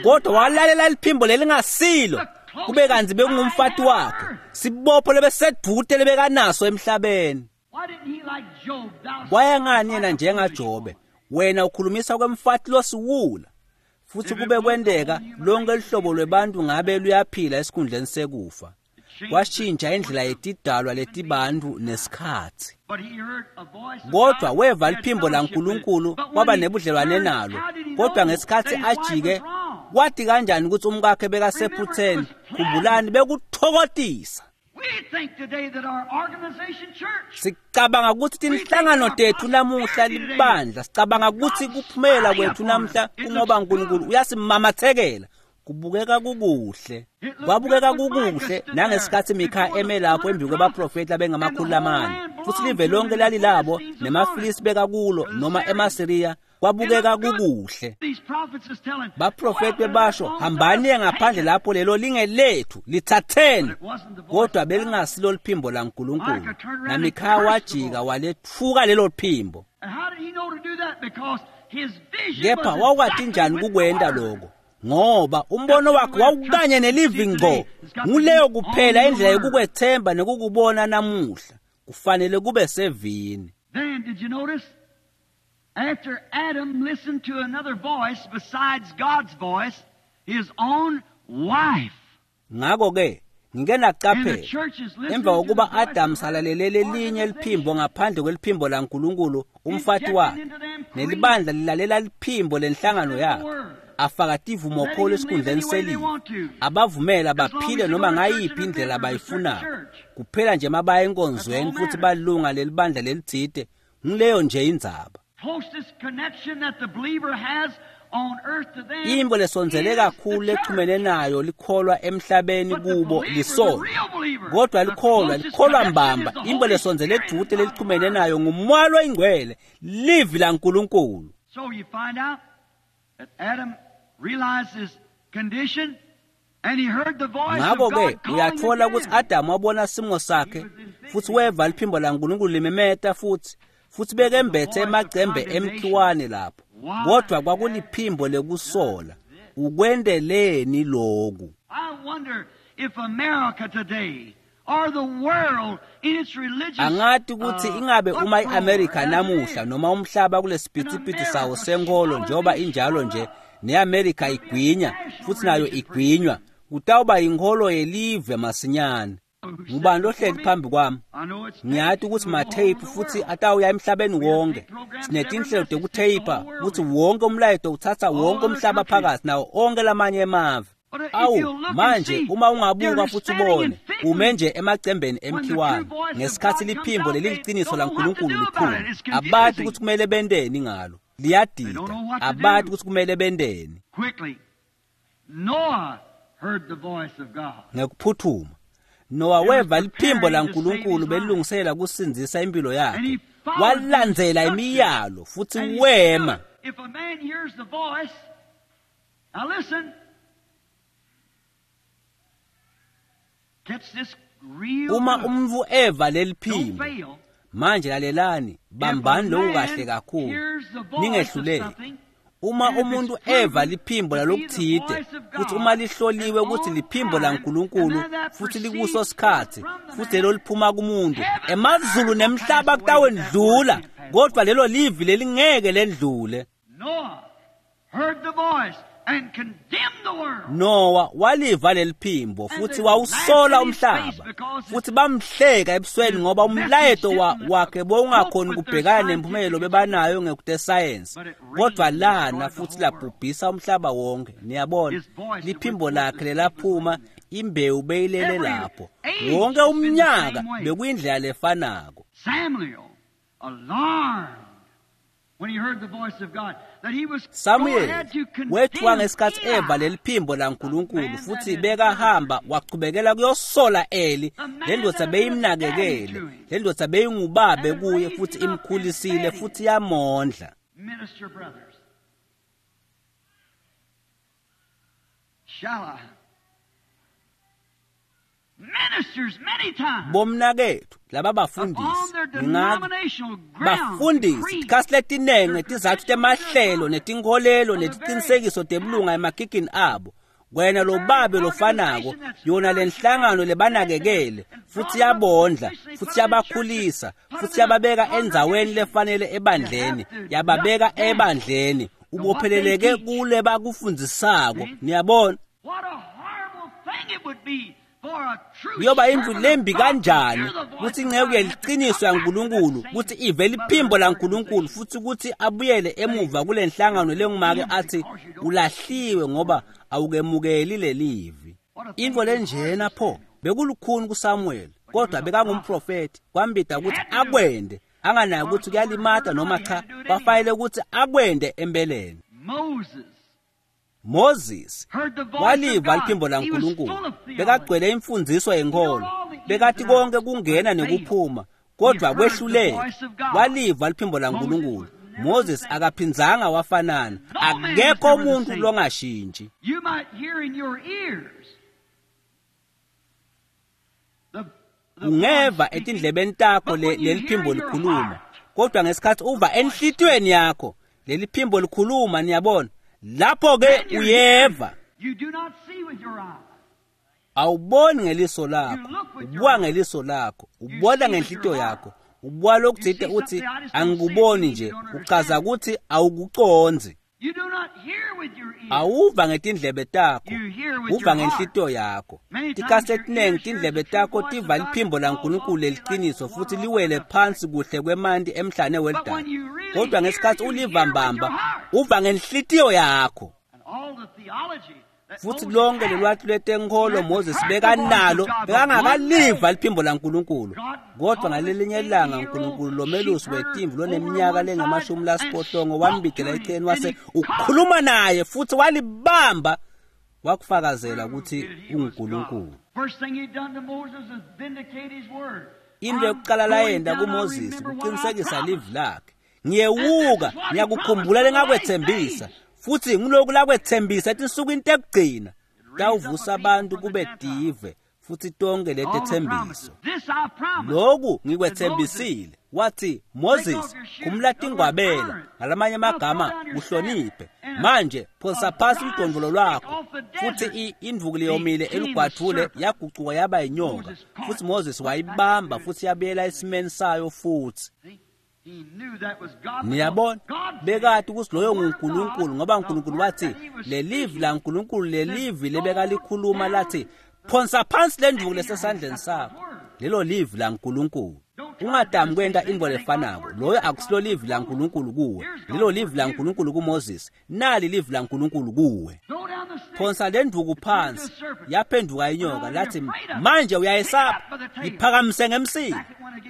Kodwa walalela liphimbo lelingasilo, kube kanzi bekungumfati wakhe, sibopho lebesedvute lebekanaso emhlabeni. Kwaya ngani yena njengaJobe, wena ukhulumisa kwemfati losiwula? Futhi kube kwenteka lonke lihlobo lwebantu ngabe luyaphila esikhundleni sekufa. Kwashintsha indlela yetidalwa letibantu nesikhatsi. Kodwa weva liphimbo laNkulunkulu, kwaba nebudlelwane nalo. Kodwa ngesikhatsi ajike, kwati kanjani ukuthi umkakhe bekasephutheni? Khumbulani, bekuthokotisa. Sicabanga ukuthi tinhlangano tethu namuhla libandla, sicabanga ukuthi kuphumela kwethu namhla kungoba uNkulunkulu uyasimamathekela. Kubukeka kukuhle, kwabukeka kukuhle nangesikhatsi Mikha eme lapho embi kwebaprofeti abengama400, futhi live lonke lalilabo nemaFilisti bekakulo noma emaSiriya. Kwabukeka kukuhle. Baprofeti bebasho, hambani ngaphandle lapho lelo lingelethu, lithatheni. Kodwa belingasilo liphimbo laNkulunkulu. NaMikha wajika waletfuka lelo phimbo. Kepha wawukati njani kukwenta lokho? Ngoba umbono wakhe wawukanye nelivi ngqo. Nguleyo kuphela indlela yokukwethemba nekukubona namuhla. Kufanele kube sevini. Then did you notice? After Adam listened to another voice besides God's voice, his own wife. Ngakho-ke ngike naqaphela emva kokuba Adam salalele lelinye liphimbo ngaphandle kweliphimbo laNkulunkulu, umfati wakhe, nelibandla lilalela liphimbo lenhlangano yakhe, afaka tivumokholo esikhundleni selivi, abavumela baphile noma ngayiphi indlela abayifunayo, kuphela nje mabaya enkonzweni futhi balunga lelibandla lelitsite. Ngileyo nje indzaba. Imbo lesondzele kakhulu lechumene nayo likholwa emhlabeni kubo lisonto. Kodwa likholwa mbamba, imbo lesondzele edvute lelichumene nayo nguMoya loyiNgcwele, livi laNkulunkulu. So you find out that Adam realized his condition and he heard the voice of Ngakho-ke God uyathola calling ukuthi again. Adamu wabona simo sakhe futhi weva liphimbo laNkulunkulu limemeta futhi bekembethe emacembe emkhiwane lapho. Kodwa kwakuliphimbo lekusola. Ukwendeleni lokhu? I wonder if America today or the world in its religious Angathi ukuthi ingabe uma iAmerica namuhla noma umhlaba kulesipithiphithi sawo senkolo njengoba injalo nje, neAmerica igwinya futhi nayo igwinywa, kutawuba inkolo yelive masinyane. Ngubani lohleli phambi kwami? Ngiyati ukuthi ma-tape futhi atawuya emhlabeni wonke. Sinetinhlelo tekutheyipha ukuthi wonke umlayeto uthatha wonke umhlaba phakathi nawo onke lamanye emave. Awu, manje uma ungabuka futhi ubone, ume nje emacembeni emkhiwane ngesikhathi liphimbo leliliciniso laNkulunkulu liphuma. Abati ukuthi kumele benteni ngalo. Liyadida. Abati ukuthi kumele benteni. Quickly, Noah heard the voice of God. Ngekuphuthuma, Noah weva liphimbo laNkulunkulu belungisela kusindzisa impilo yakhe. Walandzela imiyalo futhi And he wema. stood. If a man hears the voice, now listen. Catch this real Uma good. umuntu eva leli Don't phimbo, fail. manje lalelani, If a bambani lokhu man kahle kakhulu. hears the voice of Ningehluleki. something, Uma and if umuntu it's proven eva liphimbo to be the lalokuthide, voice of futhi God uma lihloliwe at ukuthi all liphimbo times, laNkulunkulu and then that futhi proceeds likuso sikhathi, from the futhi man, lelo liphuma kumuntu, heaven emazulu and earth will nemhlaba pass away, but that word kutawendlula, can't pass kodwa away. lelo livi lelingeke lendlule. Noah heard the voice and condemned the world. Noah waliva leli phimbo futhi wawusola umhlaba, futhi bamhleka ebusweni ngoba umlayeto wakhe bowungakhoni kubhekana nemphumelo bebanayo ngekutesayensi. Kodwa lana futhi labhubhisa umhlaba wonke. Niyabona, liphimbo lakhe lelaphuma Imbewu beyilele lapho. Wonke umnyaka bekuyindlela lefanako. Samuel wethuka ngesikhathi eva leliphimbo laNkulunkulu futhi bekahamba wachubekela kuyosola Eli. Le ndvodza beyimnakekele, le ndvodza beyingubabe kuye futhi imkhulisile futhi yamondla. Bomnakethu laba bafundisi bafundisi tikhatsi letinengi tizatfu temahlelo netinkholelo netiqinisekiso tebulunga emagigini abo. Wena lobabe lofanako, yona lenhlangano lebanakekele futhi yabondla futhi yabakhulisa futhi yababeka endzaweni lefanele ebandleni, yababeka ebandleni, ubopheleleke kule bakufundzisako. Niyabona kuyoba indlu lembi kanjani kutsi inceku yeliqiniso yaNkulunkulu kutsi ive liphimbo laNkulunkulu futhi kutsi abuyele emuva kule nhlangano lengumake athi ulahliwe ngoba awukemukeli lelivi. Intfo lenjena pho bekulukhuni kuSamuel, kodwa bekangumprofeti, kwambida kutsi akwende anganayo kutsi kuyalimata noma cha, kwafanele kutsi akwende empeleni. Moses waliva liphimbo laNkulunkulu, bekagcwele imfundziso yenkolo, bekati konke kungena nekuphuma, kodwa kwehluleka. Waliva liphimbo laNkulunkulu. Moses akaphindzanga wafanana, akekho umuntu longashintshi. Ungeva etindlebeni takho leliphimbo likhuluma, kodwa ngesikhathi uva enhlitiyweni yakho leliphimbo likhuluma, niyabona lapho ke uyeva. Awuboni ngeliso lakho, ubuka ngeliso lakho, ubona ngenhlitiyo yakho, ubuka lokutsite uthi angikuboni nje, uchaza ukuthi awukucondzi. Awuva ngetindlebe takho, uva ngenhlitiyo yakho. Tikhatsi letinengi tindlebe takho tiva liphimbo laNkulunkulu leliqiniso futhi liwele phansi kuhle kwemanti emhlane welidaka, kodwa ngesikhathi uliva mbamba uva ngenhlitiyo yakho. Futhi lonke lolwati lwetenkholo Moses bekanalo, bekangakaliva liphimbo laNkulunkulu. Kodwa ngalelinye ilanga uNkulunkulu lomelusi wetimvu loneminyaka lengama-80 wambidela eceleni wase ukhuluma naye futhi walibamba, wakufakazela ukuthi unguNkulunkulu. Into yokuqala layenda kuMoses kuqinisekisa livi lakhe. Ngiyewuka, ngiyakukhumbula lengakwethembisa, futhi ngiloku lakwethembisa etinsukwini tekugcina tawuvusa abantu kube tive futhi tonke letethembiso. Lokhu ngikwethembisile. Wathi Moses, khumula tingwabela, ngalamanye amagama uhloniphe. Manje phonsa phasi udondvolo lwakho. Futhi indvuku leyomile elugwadvule yagucuka yaba inyoka, futhi Moses wayibamba futhi yabuyela esimeni sayo futhi. Niyabona, bekati ukuthi loyo nguNkulunkulu, ngoba uNkulunkulu wathi lelivi laNkulunkulu, lelivi lebekalikhuluma lathi phonsa phansi lendvuku lesesandleni sakho. Lelo livi laNkulunkulu. Ungadami kwenta intfo lefanako. Loyo akusilo livi laNkulunkulu kuwe. Lelo livi laNkulunkulu kuMoses. Nali livi laNkulunkulu kuwe. Phonsa lendvuku phansi, yaphenduka inyoka, lathi manje uyayesaba, iphakamise ngemsila.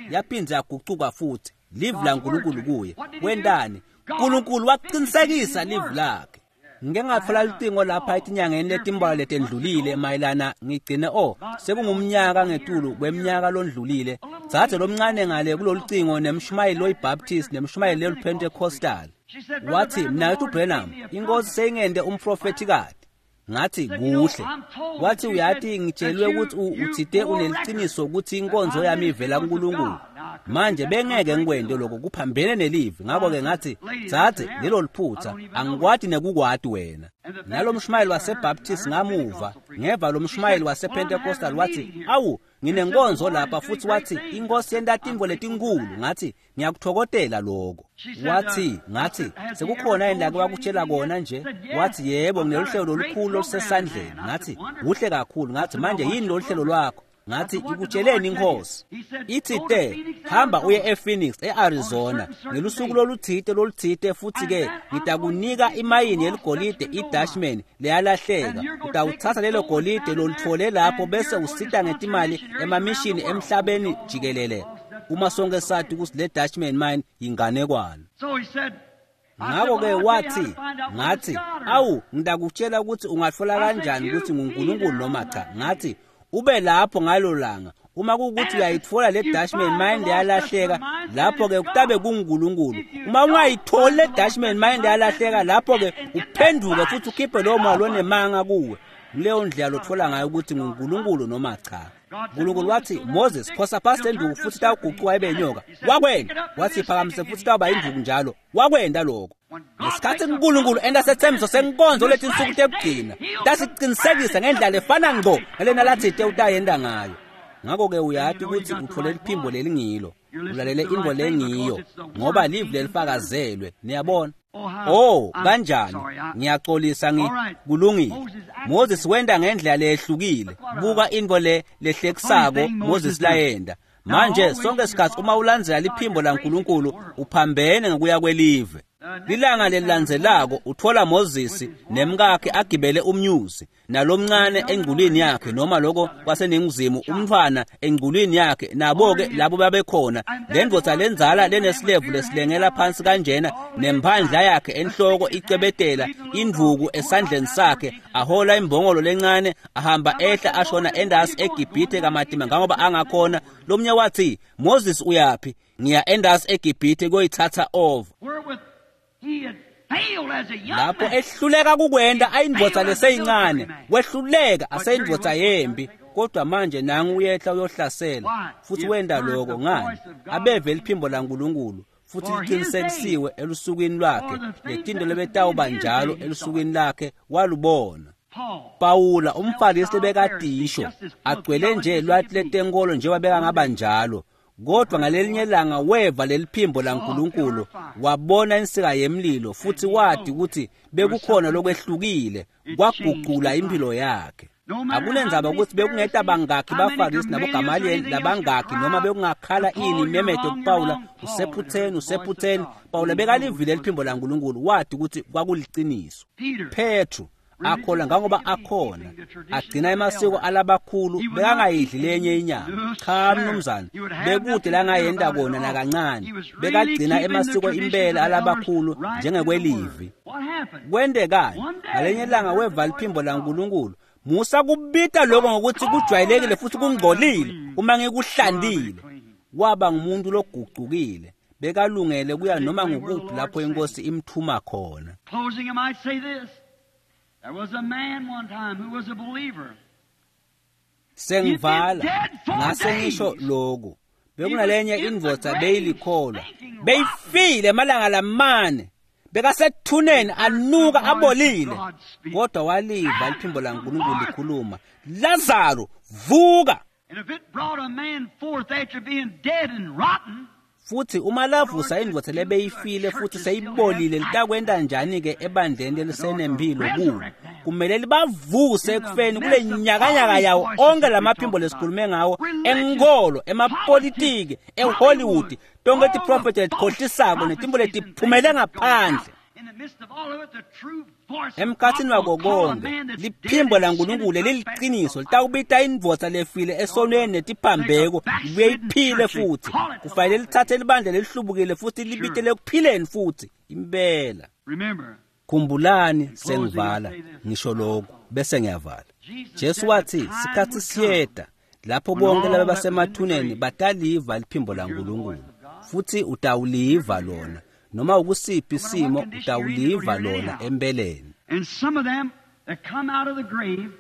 Yaphindze yagucuka futhi. Livi laNkulunkulu kuye. Wentani? uNkulunkulu waqinisekisa livi lakhe. Ngike ngatfola licingo lapha etinyangeni letimbalwa letendlulile mayelana ngigcine sekungumnyaka ngetulu kweminyaka londlulile. Dzadze lomncane ngale kulolucingo nemshumayeli loyiBaptist nemshumayeli loyiPentecostal. Wathi, "Mnaketfu Branham, inkosi seyingente umprofethi-kati." Ngathi, "Kuhle." Wathi, "Uyati ngitshelwe ukuthi uthite uneliciniso ukuthi inkonzo yami ivela kuNkulunkulu. Manje bengeke ngikwente lokho, kuphambene nelivi." Ngakho-ke ngathi, "Dzadze, lelo liphutha, angikwati nekukwati wena." Nalo mshumayeli waseBaptist ngamuva, ngeva lo mshumayeli wasePentecostal wathi, "Awu, nginenkonzo lapha," futhi wathi, "Inkosi yenta tintfo letinkulu." Ngathi, "Ngiyakuthokotela lokho." Wathi, ngathi, "Sekukhona yini lake wakutshela kona nje?" Wathi, "Yebo, ngineluhlelo lolukhulu olusesandleni." Ngathi, "Kuhle kakhulu." Ngathi, "Manje yini lolu hlelo lwakho?" Ngathi, ikutsheleni inkosi. Ithi te, hamba uye ePhoenix, eArizona, ngelusuku loluthite loluthite, futhi-ke ngitakunika imayini yeligolide iDutchman leyalahleka. Utawuthatha lelo golide lolutfole lapho bese usita ngetimali emamishini emhlabeni jikelele. Uma sonke sathi ukuthi le Dutchman mine yinganekwane. Ngakho-ke wathi, ngathi, awu, ngitakutshela ukuthi ungathola kanjani ukuthi nguNkulunkulu noma cha. Ngathi, ube lapho ngalo langa. Uma kuwukuthi uyayithola le Dutchman mine yalahleka, lapho-ke kutabe kunguNkulunkulu. Uma ungayitholi le Dutchman mine yalahleka, lapho-ke uphenduke futhi ukhiphe lowo moya lonemanga kuwe. Kuleyo ndlela lothola ngayo ukuthi nguNkulunkulu noma cha. uNkulunkulu wathi, Moses, phosa phasi lenduku futhi tawuguquka ibe inyoka. Wakwenda. Wathi, phakamise futhi tawuba induku njalo. Wakwenda lokho. Ngesikhathi uNkulunkulu enta sethembiso senkonzo letinsuku tekugcina, tasiqinisekisa ngendlela efana ngqo nalena lathi utayenda ngayo. Ngakho-ke uyati ukuthi uthole liphimbo lelingilo, ulalele intfo lengiyo, ngoba livi lelifakazelwe. Niyabona? Oh, kanjani? Ngiyaxolisa, kulungile. Moses wenda ngendlela lehlukile. Buka intfo le lehlekisako Moses layenda. Manje sonke isikhathi uma ulandzela liphimbo laNkulunkulu uphambene ngokuya kwelive. Lilanga lelilandzelako uthola Moses nemkakhe agibele umnyuzi nalomncane engculini yakhe, noma lokho kwaseningizimu, umntwana engculini yakhe. Nabo-ke labo babekhona, le ndvodza lenzala lenesilevu lesilengela phansi kanjena, nemphandla yakhe enhloko icebetela, induku esandleni sakhe, ahola imbongolo lencane, ahamba ehla ashona endasi eGibhithe kamatima ngangoba angakhona. Lomnye wathi, Moses uyaphi? Ngiya endasi eGibhithe kuyoyithatha over. Lapho ehluleka kukwenda ayindvodza leseyincane, wehluleka aseyindvodza yembi, kodwa manje nangu uyehla uyohlasela futhi wenda lokho. Ngani? Abeve liphimbo laNkulunkulu futhi liqinisekisiwe elusukwini lwakhe. Letinto lebetawuba njalo elusukwini lakhe walubona. Pawula umfarisi lebekadisho agcwele nje lwati letenkolo njengoba bekangaba njalo, kodwa ngalelinye ilanga weva leliphimbo laNkulunkulu, wabona insika yemlilo futhi wati ukuthi bekukhona lokwehlukile, kwaguqula impilo yakhe. Akunendzaba ukuthi bekungeta bangakhi bafarisi naboGamaliyeli labangakhi, noma bekungakhala ini imemeto kuPawula, usephutheni, usephutheni. Pawula bekalivile liphimbo laNkulunkulu, wati ukuthi kwakuliciniso. Petru akhola ngangoba akhona, agcina emasiko alabakhulu, bekangayidli lenye inyama. Cha mnumzane, bekude langayenda kona nakancane. Bekagcina emasiko impela alabakhulu njengekwelivi. Kwendekani? Ngalenye ilanga weva liphimbo laNkulunkulu. Musa kubita lokho ngokuthi kujwayelekile futhi kungcolile uma ngikuhlandile. Waba ngumuntu logucukile, bekalungele kuya noma ngukuphi lapho inkosi imthuma khona. Closing, I might say this. There was a man one time who was a believer. Sengivala ngase ngisho lokhu. Bekunalenye indvodza beyilikholwa, beyifile emalanga lamane, bekasethuneni anuka abolile, kodwa waliva liphimbo laNkulunkulu likhuluma, Lazaro vuka. And if it brought a man forth after being dead and rotten, Futhi uma lavusa indvodza lebeyifile futhi seyibolile, litakwenta njani-ke ebandleni lelisenempilo kuwo? Kumele libavuse ekufeni kule nyakanyaka yawo onke lamaphimbo lesikhulume ngawo, enkolo, emapolitiki, eHollywood, tonke tiprofethi letikhohlisako netimbo letiphumele ngaphandle. in the midst of all of it, the true voice of Emkhathini God wako will call a konke man that's liphimbo dead and laNkulunkulu sin leliliciniso litawubita indvodza lefile esonweni netiphambeko libuye iphile futhi. Kufanele lithathe libandla lelihlubukile futhi libitele ekuphileni futhi impela. Remember, Khumbulani, sengivala ngisho lokhu bese ngiyavala. Jesu wathi sikhathi siyeta lapho bonke laba basemathuneni bataliva liphimbo laNkulunkulu, futhi utawuliva lona noma ukusiphi isimo, utawuliva lona empeleni. and some of them that come out of the grave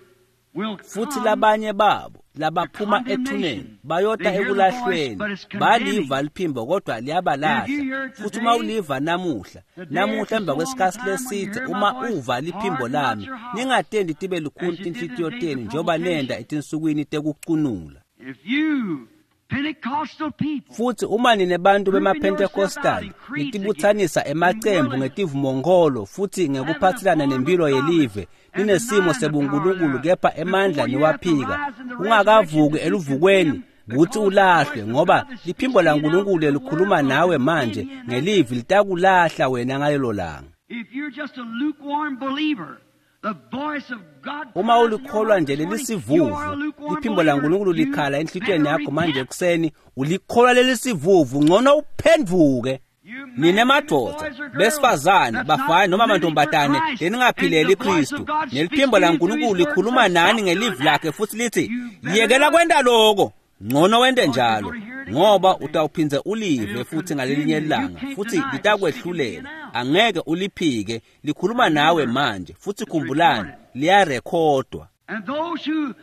will Futhi come labanye babo labaphuma ethuneni bayota ekulahlweni, baliva liphimbo kodwa liyabalahla. Futhi uma uliva namuhla, namuhla emva kwesikhathi lesithe, uma uva liphimbo lami, ningatendi tibe lukhuni tinhlitiyo tenu njengoba nenda etinsukwini tekucunula. If you Pentecostal people, Futhi uma nine bantu bemaPentecostal nitibutsanisa emacembu ngetivumokholo futhi ngekuphathelana nempilo yelive, ninesimo sebunkulunkulu kepha emandla niwaphika, ungakavuki eluvukweni kutsi ulahlwe, ngoba liphimbo laNkulunkulu lelikhuluma nawe manje ngelivi litakulahla wena ngalelo langa. if you're just a lukewarm believer, the voice of God Uma cries in your ulikholwa heart nje this morning, you are a lelisivuvu, lukewarm liphimbo believer. laNkulunkulu You likhala enhlitiyweni better yakho manje repent. ekuseni, ulikholwa lelisivuvu, ngcono uphendvuke. You men, Nine women, madoda, boys or girls, besifazane, that's not bafana noma living for mantombazane Christ, leningaphileli and the voice Kristu, of God speaks neliphimbo to you through laNkulunkulu His word likhuluma and says, nani "Stop ngelivi doing that." lakhe futhi lithi, You better yekela do it. kwenta loko, ngcono wente njalo, ngoba utawuphindze ulive futhi ngalelinye ilanga, futhi litakwehlulela. Angeke uliphike, likhuluma nawe manje, futhi khumbulani, liyarekhodwa. And those who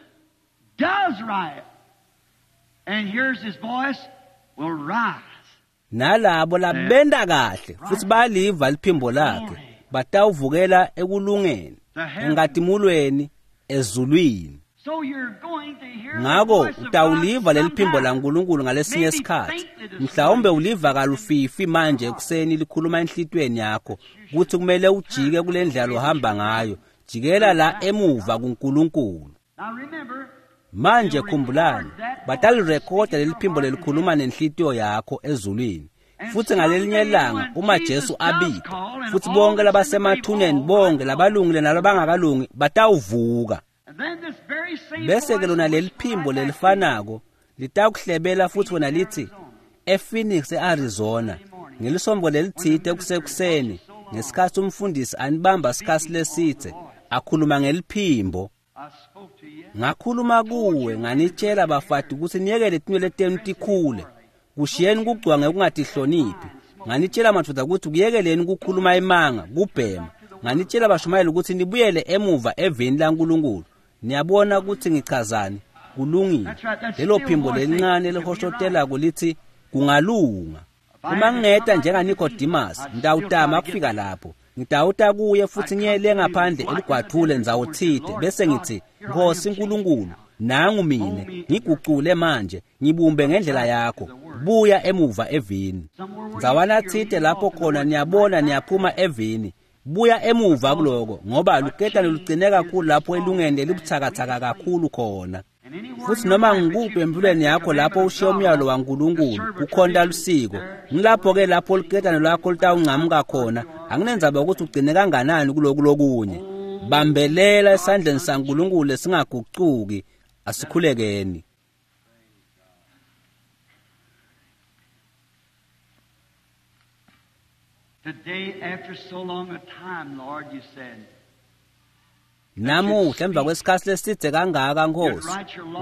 does right and hears his voice will rise. Nalabo labenta kahle futhi baliva liphimbo lakhe batawuvukela ekulungeni, enkatimulweni, ezulwini. So you're going to hear the Ngako voice of utawuliva God leli phimbo sometime. laNkulunkulu ngalesinye Maybe isikhathi. faintly this Mhlawumbe morning. uliva kalufifi manje ekuseni likhuluma enhlitiyweni yakho kutsi kumele ujike kule ndlela lohamba ngayo, jikela la emuva kuNkulunkulu. Now remember, Manje khumbulani, batalirekhoda leli phimbo lelikhuluma nenhlitiyo yakho ezulwini. Futhi ngalelinye ilanga uma Jesu abita, futhi bonke labasemathuneni, bonke labalungile nalabangakalungi batawuvuka. and then this very same Bese ke voice lona will leli whisper phimbo right back to you. lelifanako litakuhlebela futhi wena lithi ePhoenix eArizona ngelisombo lelitsite kusekuseni ngesikhathi umfundisi anibamba isikhathi lesitse akhuluma ngeliphimbo. I spoke to you. Ngakhuluma kuwe nganitshela bafati ukuthi niyekele tinwele tenu tikhule, kushiyeni kugcwa ngekungatihloniphi. Nganitshela madoda ukuthi kuyekeleni kukhuluma imanga, kubhema. Nganitshela bashumayeli ukuthi nibuyele emuva eveni laNkulunkulu. Niyabona ukuthi ngichazani? Kulungile. Lelo phimbo lelincane lihoshotelako lithi kungalunga. Uma ngingeta njengaNicodemus, ngitawutama kufika lapho. Ngitawuta kuye futhi ngiyele ngaphandle eligwathule ndzawo tsite, bese ngithi, Nkosi Nkulunkulu, nangu mine, ngigucule manje, ngibumbe ngendlela yakho, buya emuva evini. Ndzawana tsite lapho khona niyabona niyaphuma evini, buya emuva kuloko, ngoba luketane lugcine kakhulu lapho elungeni lelibutsakatsaka kakhulu khona. And anywhere Futhi in your noma life that ngikuphi you empilweni break the yakho lapho commandment of ushiya God umyalo to waNkulunkulu serve a kukhonta tradition, lusiko, there ngilapho ke lapho liketane lwakho litawuncamuka khona. Anginendzaba ukuthi ugcine kanganani kuloku lokunye. Bambelela esandleni saNkulunkulu lesingagucuki. Asikhulekeni. Today, after so long a time, Lord, you said, Namuhla emva kwesikhathi lesidze kangaka Nkosi,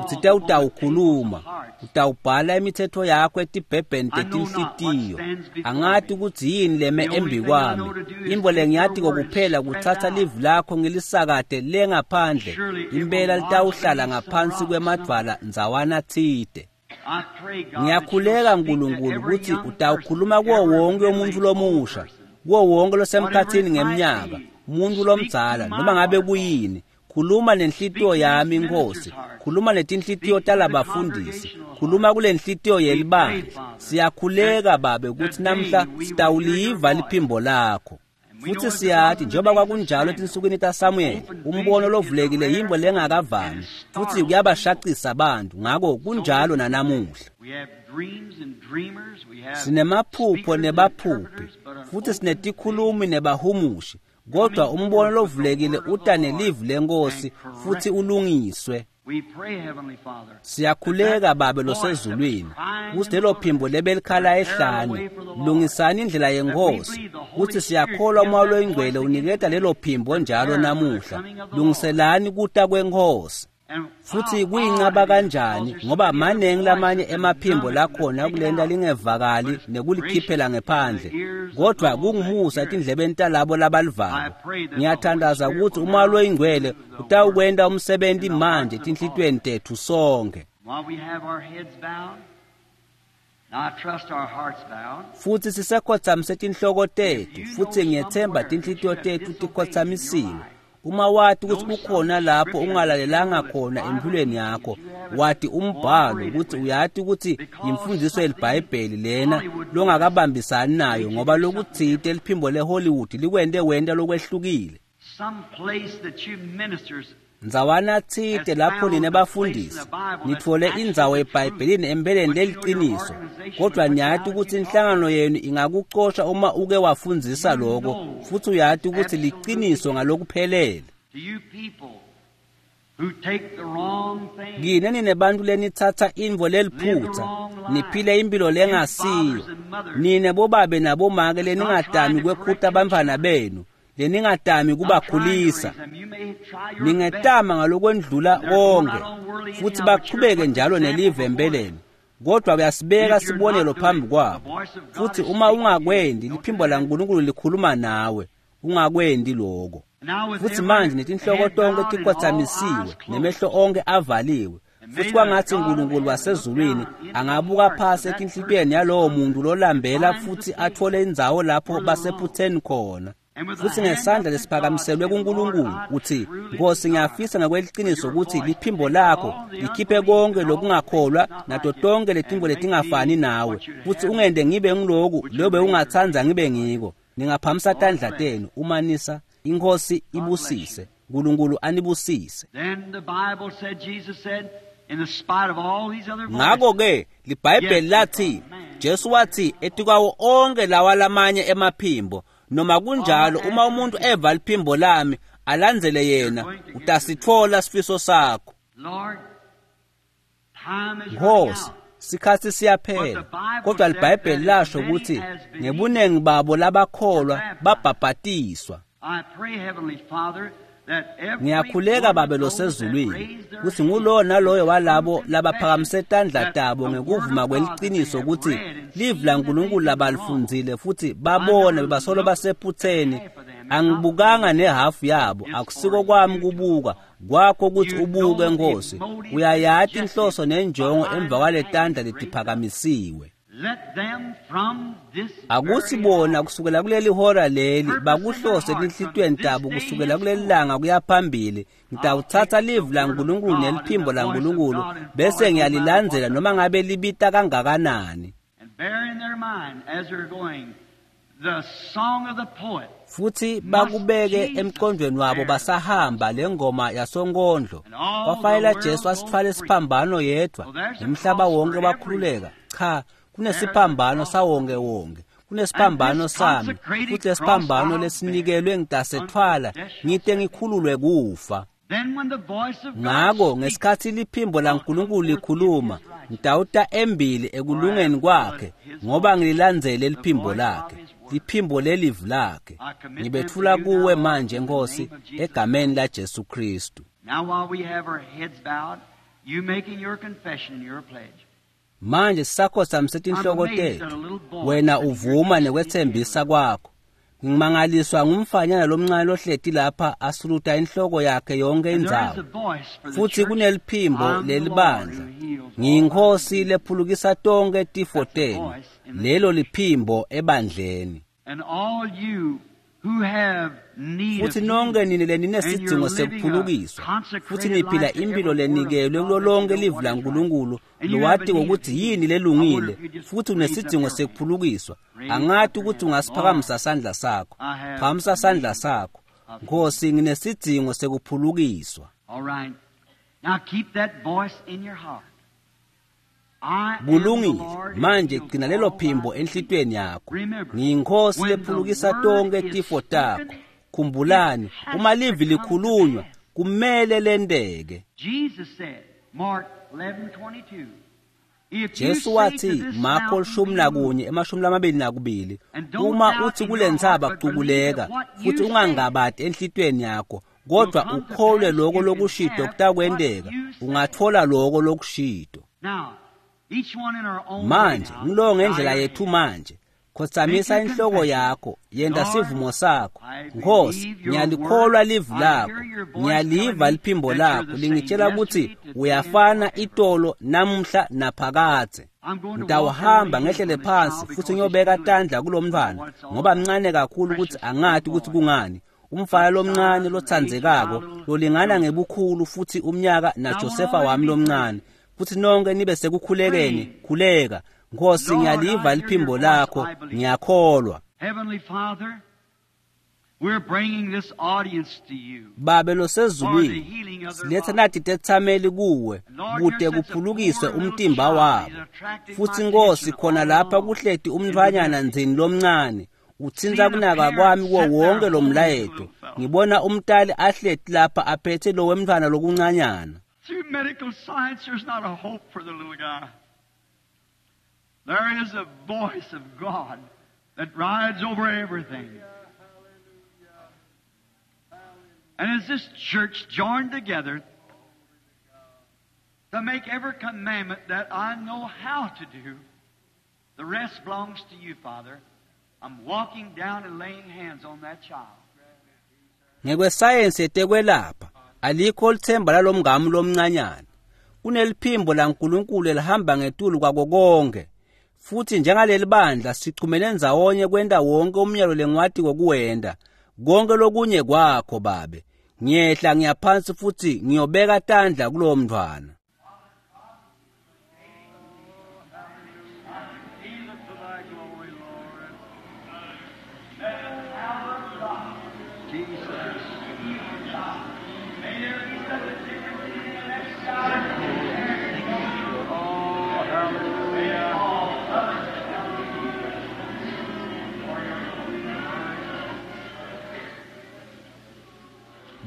utsite utawukhuluma, utawubhala imithetho yakho etibhebheni tetinhlitiyo. Angati ukuthi yini leme embi kwami. Intfo lengiyatiko kuphela kutsatsa livi lakho ngilisakate le ngaphandle. Impela litawuhlala ngaphansi kwemadvwala ndzawana tsite. I pray, God, that Ngiyakhuleka you'll speak to Nkulunkulu every kutsi young utawukhuluma person, kuwo every wonke umuntfu middle-aged lomusha, person. kuwo wonke losemkhatsini Whatever it might ngemnyaka, be, umuntu speak lomdzala to my noma ngabe heart. kuyini. Khuluma nenhlitiyo Speak to this yami minister's Nkosi, heart. khuluma netinhlitiyo Speak to the talabafundisi, congregational heart. khuluma kule nhhlitiyo We pray, yelibandla. Father, Siyakhuleka that Babe kutsi today namhla we will hear your sitawuliva voice. liphimbo lakho. And we know Futhi as it was siyati in the njengoba days of kwakunjalo Samuel, etinsukwini taSamuel, open umbono vision is a lovulekile rare yintfo thing and lengakavami it futhi startles people. kuyabashaqisa abantu, ngako So kunjalo is it today. nanamuhla. We have dreams and dreamers, we have Sinemaphupho speakers and nebaphuphi, interpreters, but an futhi open vision sinetikhulumi nebahumushi, kodwa coming umbono forth with the lovulekile word of the uta Lord nelivi lenkosi and futhi corrected. ulungiswe. We pray, Heavenly Father, that Siyakhuleka that Babe voice that was losezulwini crying kutsi in the lelo phimbo wilderness, lebelikhala prepare the ehlane, way for the Lord, lungisani indlela that we yenkosi, believe the Holy kutsi Spirit siyakholwa gives umoya that voice loyingcwele again uniketa today. lelo phimbo njalo Prepare for the namuhla. coming of the Lord. Lungiselani kuta kwenkosi. And Futhi how odd kuyincaba it is, because kanjani there's so ngoba many other manengi lamanye voices that emaphimbo numb it and lakhona take it kulenta out. But lingevakali it's gracious nekulikhiphela in the ngephandle, ears of kodwa those that kungumusa hear it. etindlebeni talabo I labalivako. pray that the Holy Ngiyathandaza Spirit kutsi will umoya now loyingcwele do the work utawukwenta umsebenti in the manje hearts of all. etinhlitiyweni tetfu sonke. While we have our heads bowed, now I trust our hearts bowed. Futhi sisekhotsamise tinhloko If tetfu you know futhi ngiyethemba somewhere that you tinhlitiyo have tetfu disobeyed in your tikhotsamisiwe. life, Uma wati ukuthi kukhona lapho ungalalelanga khona empilweni yakho, wati umbhalo ukuthi uyati ukuthi imfundiso yeliBhayibheli lena longakabambisani nayo, ngoba lokutsite liphimbo leHollywood likwente wenta lokwehlukile. Ndzawana tsite lapho nine bafundisi nitfole indzawo eBhayibhelini empeleni leliqiniso, kodwa niyati ukuthi inhlangano yenu ingakucosha uma uke wafundzisa lokho, futhi uyati ukuthi liqiniso ngalokuphelele. Kini nine bantu lenitsatsa intfo leliphutsa, niphile impilo lengasiyo. Nine bobabe nabomake leningatami kwekhuta bantfwana benu, leningatami kubakhulisa. Ningetama ngalokwendlula konke, futhi bachubeke njalo nelive empeleni, kodwa kuyasibeka sibonelo phambi kwabo. Futhi uma ungakwendi, liphimbo laNkulunkulu likhuluma nawe, ungakwendi lokho. Futhi manje netinhloko tonke tikhotsamisiwe, nemehlo onke avaliwe, futhi kwangathi uNkulunkulu wasezulwini angabuka phasi etinhlitiyweni yalowo muntu lolambela futhi athole indzawo lapho basephutheni khona. Futhi ngesandla lesiphakamiselwe kuNkulunkulu uthi, Nkosi, ngiyafisa ngokweliciniso ukuthi liphimbo lakho likhiphe konke lokungakholwa nato tonke letintfo letingafani nawe, futhi ungende ngibe ngiloku lobe ungatsandza ngibe ngiko. Ningaphamisa tandla tenu uma nisa. Inkosi ibusise, uNkulunkulu anibusise. Ngakho-ke liBhayibheli lathi, Jesu wathi etikwawo onke lawa lamanye emaphimbo, noma kunjalo uma umuntu eva liphimbo lami alandzele yena, utasitfola sifiso sakho. Nkosi, sikhatsi siyaphela, kodwa liBhayibheli lasho ukuthi ngebuningi babo labakholwa babhabhatiswa. Ngiyakhuleka Babe losezulwini kutsi ngulowo naloyo walabo labaphakamise tandla tabo ngekuvuma kweliciniso ukuthi livi laNkulunkulu labalifundzile futhi babone bebasolo basephutheni. Angibukanga nehafu yabo, akusiko kwami kubuka, kwakho ukuthi ubuke Nkosi. Uyayati inhloso nenjongo emva kwaletandla letiphakamisiwe. Akuthi bona kusukela kuleli hora leli bakuhlose etinhlitiyweni tabo kusukela kuleli langa kuya phambili. Ngitawuthatha livi laNkulunkulu neliphimbo laNkulunkulu bese ngiyalilandzela noma ngabe libita kangakanani. Futhi bakubeke emqondweni wabo basahamba lengoma yasonkondlo. Kwafanele Jesu asithwale isiphambano yedwa, nomhlaba wonke wakhululeka. Cha, kunesiphambano sawonke wonke, kunesiphambano sami, futhi lesiphambano lesinikelwe ngitasethwala ngite ngikhululwe kufa. Ngako ngesikhatsi liphimbo laNkulunkulu likhuluma, ngitawuta embili ekulungeni kwakhe, ngoba ngililandzele liphimbo lakhe, liphimbo lelivi lakhe. Ngibetfula kuwe manje Nkosi, egameni laJesu Kristu. Manje sisakhotsamise tinhloko tetfu, wena uvuma nekwetsembisa kwakho. Ngimangaliswa ngumfanyana lomncane lohleti lapha asuluta inhloko yakhe yonke indzawo. Futhi kuneliphimbo lelibandla. Ngiyinkosi lephulukisa tonke tifo tenu. Lelo liphimbo ebandleni. Futhi nonke nini leninesidingo sekuphulukiswa, futhi niphila impilo lenikelwe kulo lonke livi laNkulunkulu, lowati ngokuthi yini lelungile, futhi unesidingo sekuphulukiswa. Angati ukuthi ungasiphakamisa sandla sakho. Phakamisa sandla sakho. Nkosi, nginesidingo sekuphulukiswa. Kulungile. Manje gcina lelo phimbo enhlitiyweni yakho. Ngiyinkosi lephulukisa tonke tifo takho. Khumbulani, uma livi likhulunywa, kumele lenteke. Jesu wathi Marko 11 22, uma uthi kule ntsaba cukuleka, futhi ungangabati enhlitiyweni yakho, kodwa ukholwe lokho lokushito kutakwenteka, ungathola lokho lokushito. Manje ngilowo ngendlela yethu manje. Khotsamisa inhloko yakho, yenta sivumo sakho. Nkosi, ngiyalikholwa livi lakho, ngiyaliva liphimbo lakho lingitshela ukuthi uyafana itolo namuhla naphakadze. Ngitawuhamba ngehlele phansi futhi ngiyobeka tandla kulomntwana, ngoba mncane kakhulu ukuthi angati ukuthi kungani. Umfana lomncane lotsandzekako lolingana ngebukhulu futhi umnyaka naJosefa wami lomncane. Futhi nonke nibe sekukhulekeni, khuleka. Nkosi, ngiyaliva liphimbo lakho, ngiyakholwa. Heavenly Father, we're bringing this audience to you. Babe losezulwini, siletha nathi tethameli kuwe kute kuphulukise umtimba wabo. Futhi Nkosi, khona lapha kuhleti umntfwanyana ndzini lomncane utsintsa kunaka kwami kuwo wonke lo mlayeto. Ngibona umtali ahleti lapha aphethe lo wemntfwana lokuncanyana. Through medical science, there's not a hope for the little guy. There is a voice of God that rides over everything. And as this church joined together to make every commandment that I know how to do, the rest belongs to you, Father. I'm walking down and laying hands on that child. Ngekwesayensi yetekwelapha alikho lithemba lalomngami lomncanyana. Kuneliphimbo laNkulunkulu elihamba ngetulu kwako konke. Futhi njengaleli bandla sichumene ndzawonye kwenta wonke umyalo lengiwati kokuwenta. Konke lokunye kwakho Babe. Ngiyehla ngiyaphansi futhi ngiyobeka tandla kulowo mntfwana.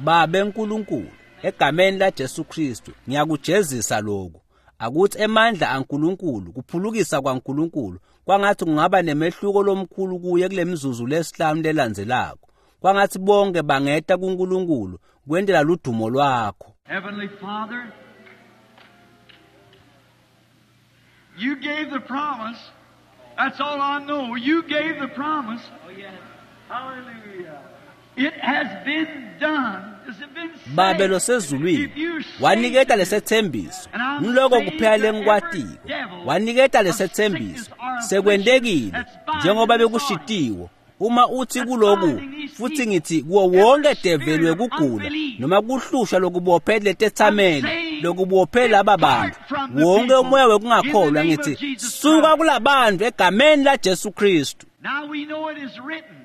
Babe nkulunkulu, egameni laJesu Kristu, ngiyakujezisa lokhu. Akuthi emandla aNkulunkulu, kuphulukisa kwaNkulunkulu, kwangathi kungaba nemehluko lomkhulu kuye kule mizuzu lesihlanu lelandzelako. Kwangathi bonke bangeta kuNkulunkulu kwentela ludumo lwakho. Heavenly Father, you gave the promise. That's all I know. You gave the promise. Oh, yes. Hallelujah. It has been done. It's been said. Babe losezulwini, If you say waniketa to lesethembiso. And I'm Ngiloko saying kuphela to lengikwatiko. every devil Waniketa of lesethembiso. sickness or Sekwentekile that's binding njengoba this bekushitiwo. Uma uthi That's kuloku binding these futhi people. ngithi kuwo wonke Every develi spirit of wekugula unbelief. noma kuhlushwa lokubophe letethameli I'm saying, lokubophe laba bantu depart from the wonke people umoya in the wekungakholwa name of ngithi Jesus suka Christ. kulabantu egameni laJesu Kristu. Now we know it is written.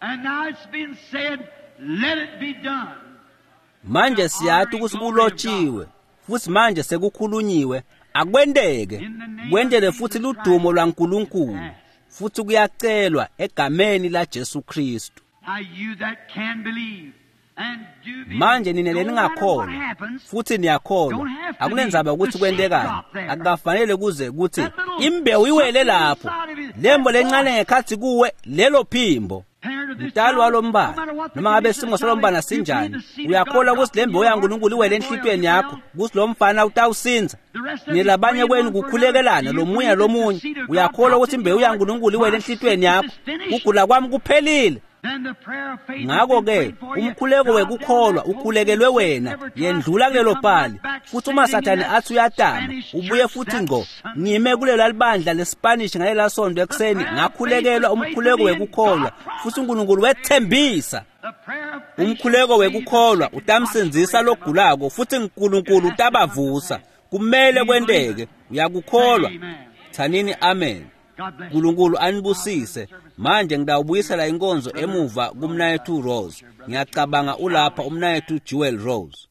And now it's been said, let it be done. Manje siyathi ukuthi kulotshiwe futhi manje sekukhulunyiwe akwenteke kwentele futhi ludumo lwaNkulunkulu futhi kuyacelwa egameni laJesu Kristu. Now you that can believe and do believe, Manje nina no matter what leningakholwa happens, futhi niyakholwa akunendzaba ukuthi kwentekani akukafanele kuze kuthi imbewu iwele lapho lembo lencane ngekhathi kuwe lelo phimbo. parent of this Mtali child, no walombana matter what the noma ngabe condition isimo of the child salombana is, you believe sinjani the seed of uyakholwa God ukuthi le dropped in mbewu your heart, yaNkulunkulu iwele that boy will enhlitiyweni get yakho well. ukuthi lo mfana utawusinza. The rest of you Nilabanye praying kwenu one for kukhulekelana another. lo You munye believe that the lomunye seed of God uyakholwa dropped ukuthi in imbewu your heart. yaNkulunkulu iwele My enhlitiyweni sickness yakho is finished. kugula kwami kuphelile. Then the prayer of faith has Ngakho been ke prayed for you. umkhuleko Drop down wekukholwa that post ukhulekelwe and wena never try yendlula to kulelo come pali right back futhi uma sitting in sathane that athi uyatama Spanish ubuye church futhi that ngqo Sunday. ngime kulela libandla leSpanish ngalela sonto ekuseni ngakhulekelwa umkhuleko wekukholwa futhi uNkulunkulu wethembisa. The prayer of faith Umkhuleko saves the wekukholwa sick and utamsindzisa prostrates them up. logulako futhi uNkulunkulu utabavusa. Kumele kwenteke. Uyakukholwa? Thanini amen. God bless you. uNkulunkulu anibusise. Manje ngidawubuyisela inkonzo emuva kumnayethu Rose. Ngiyacabanga ulapha umnayethu Jewel Rose.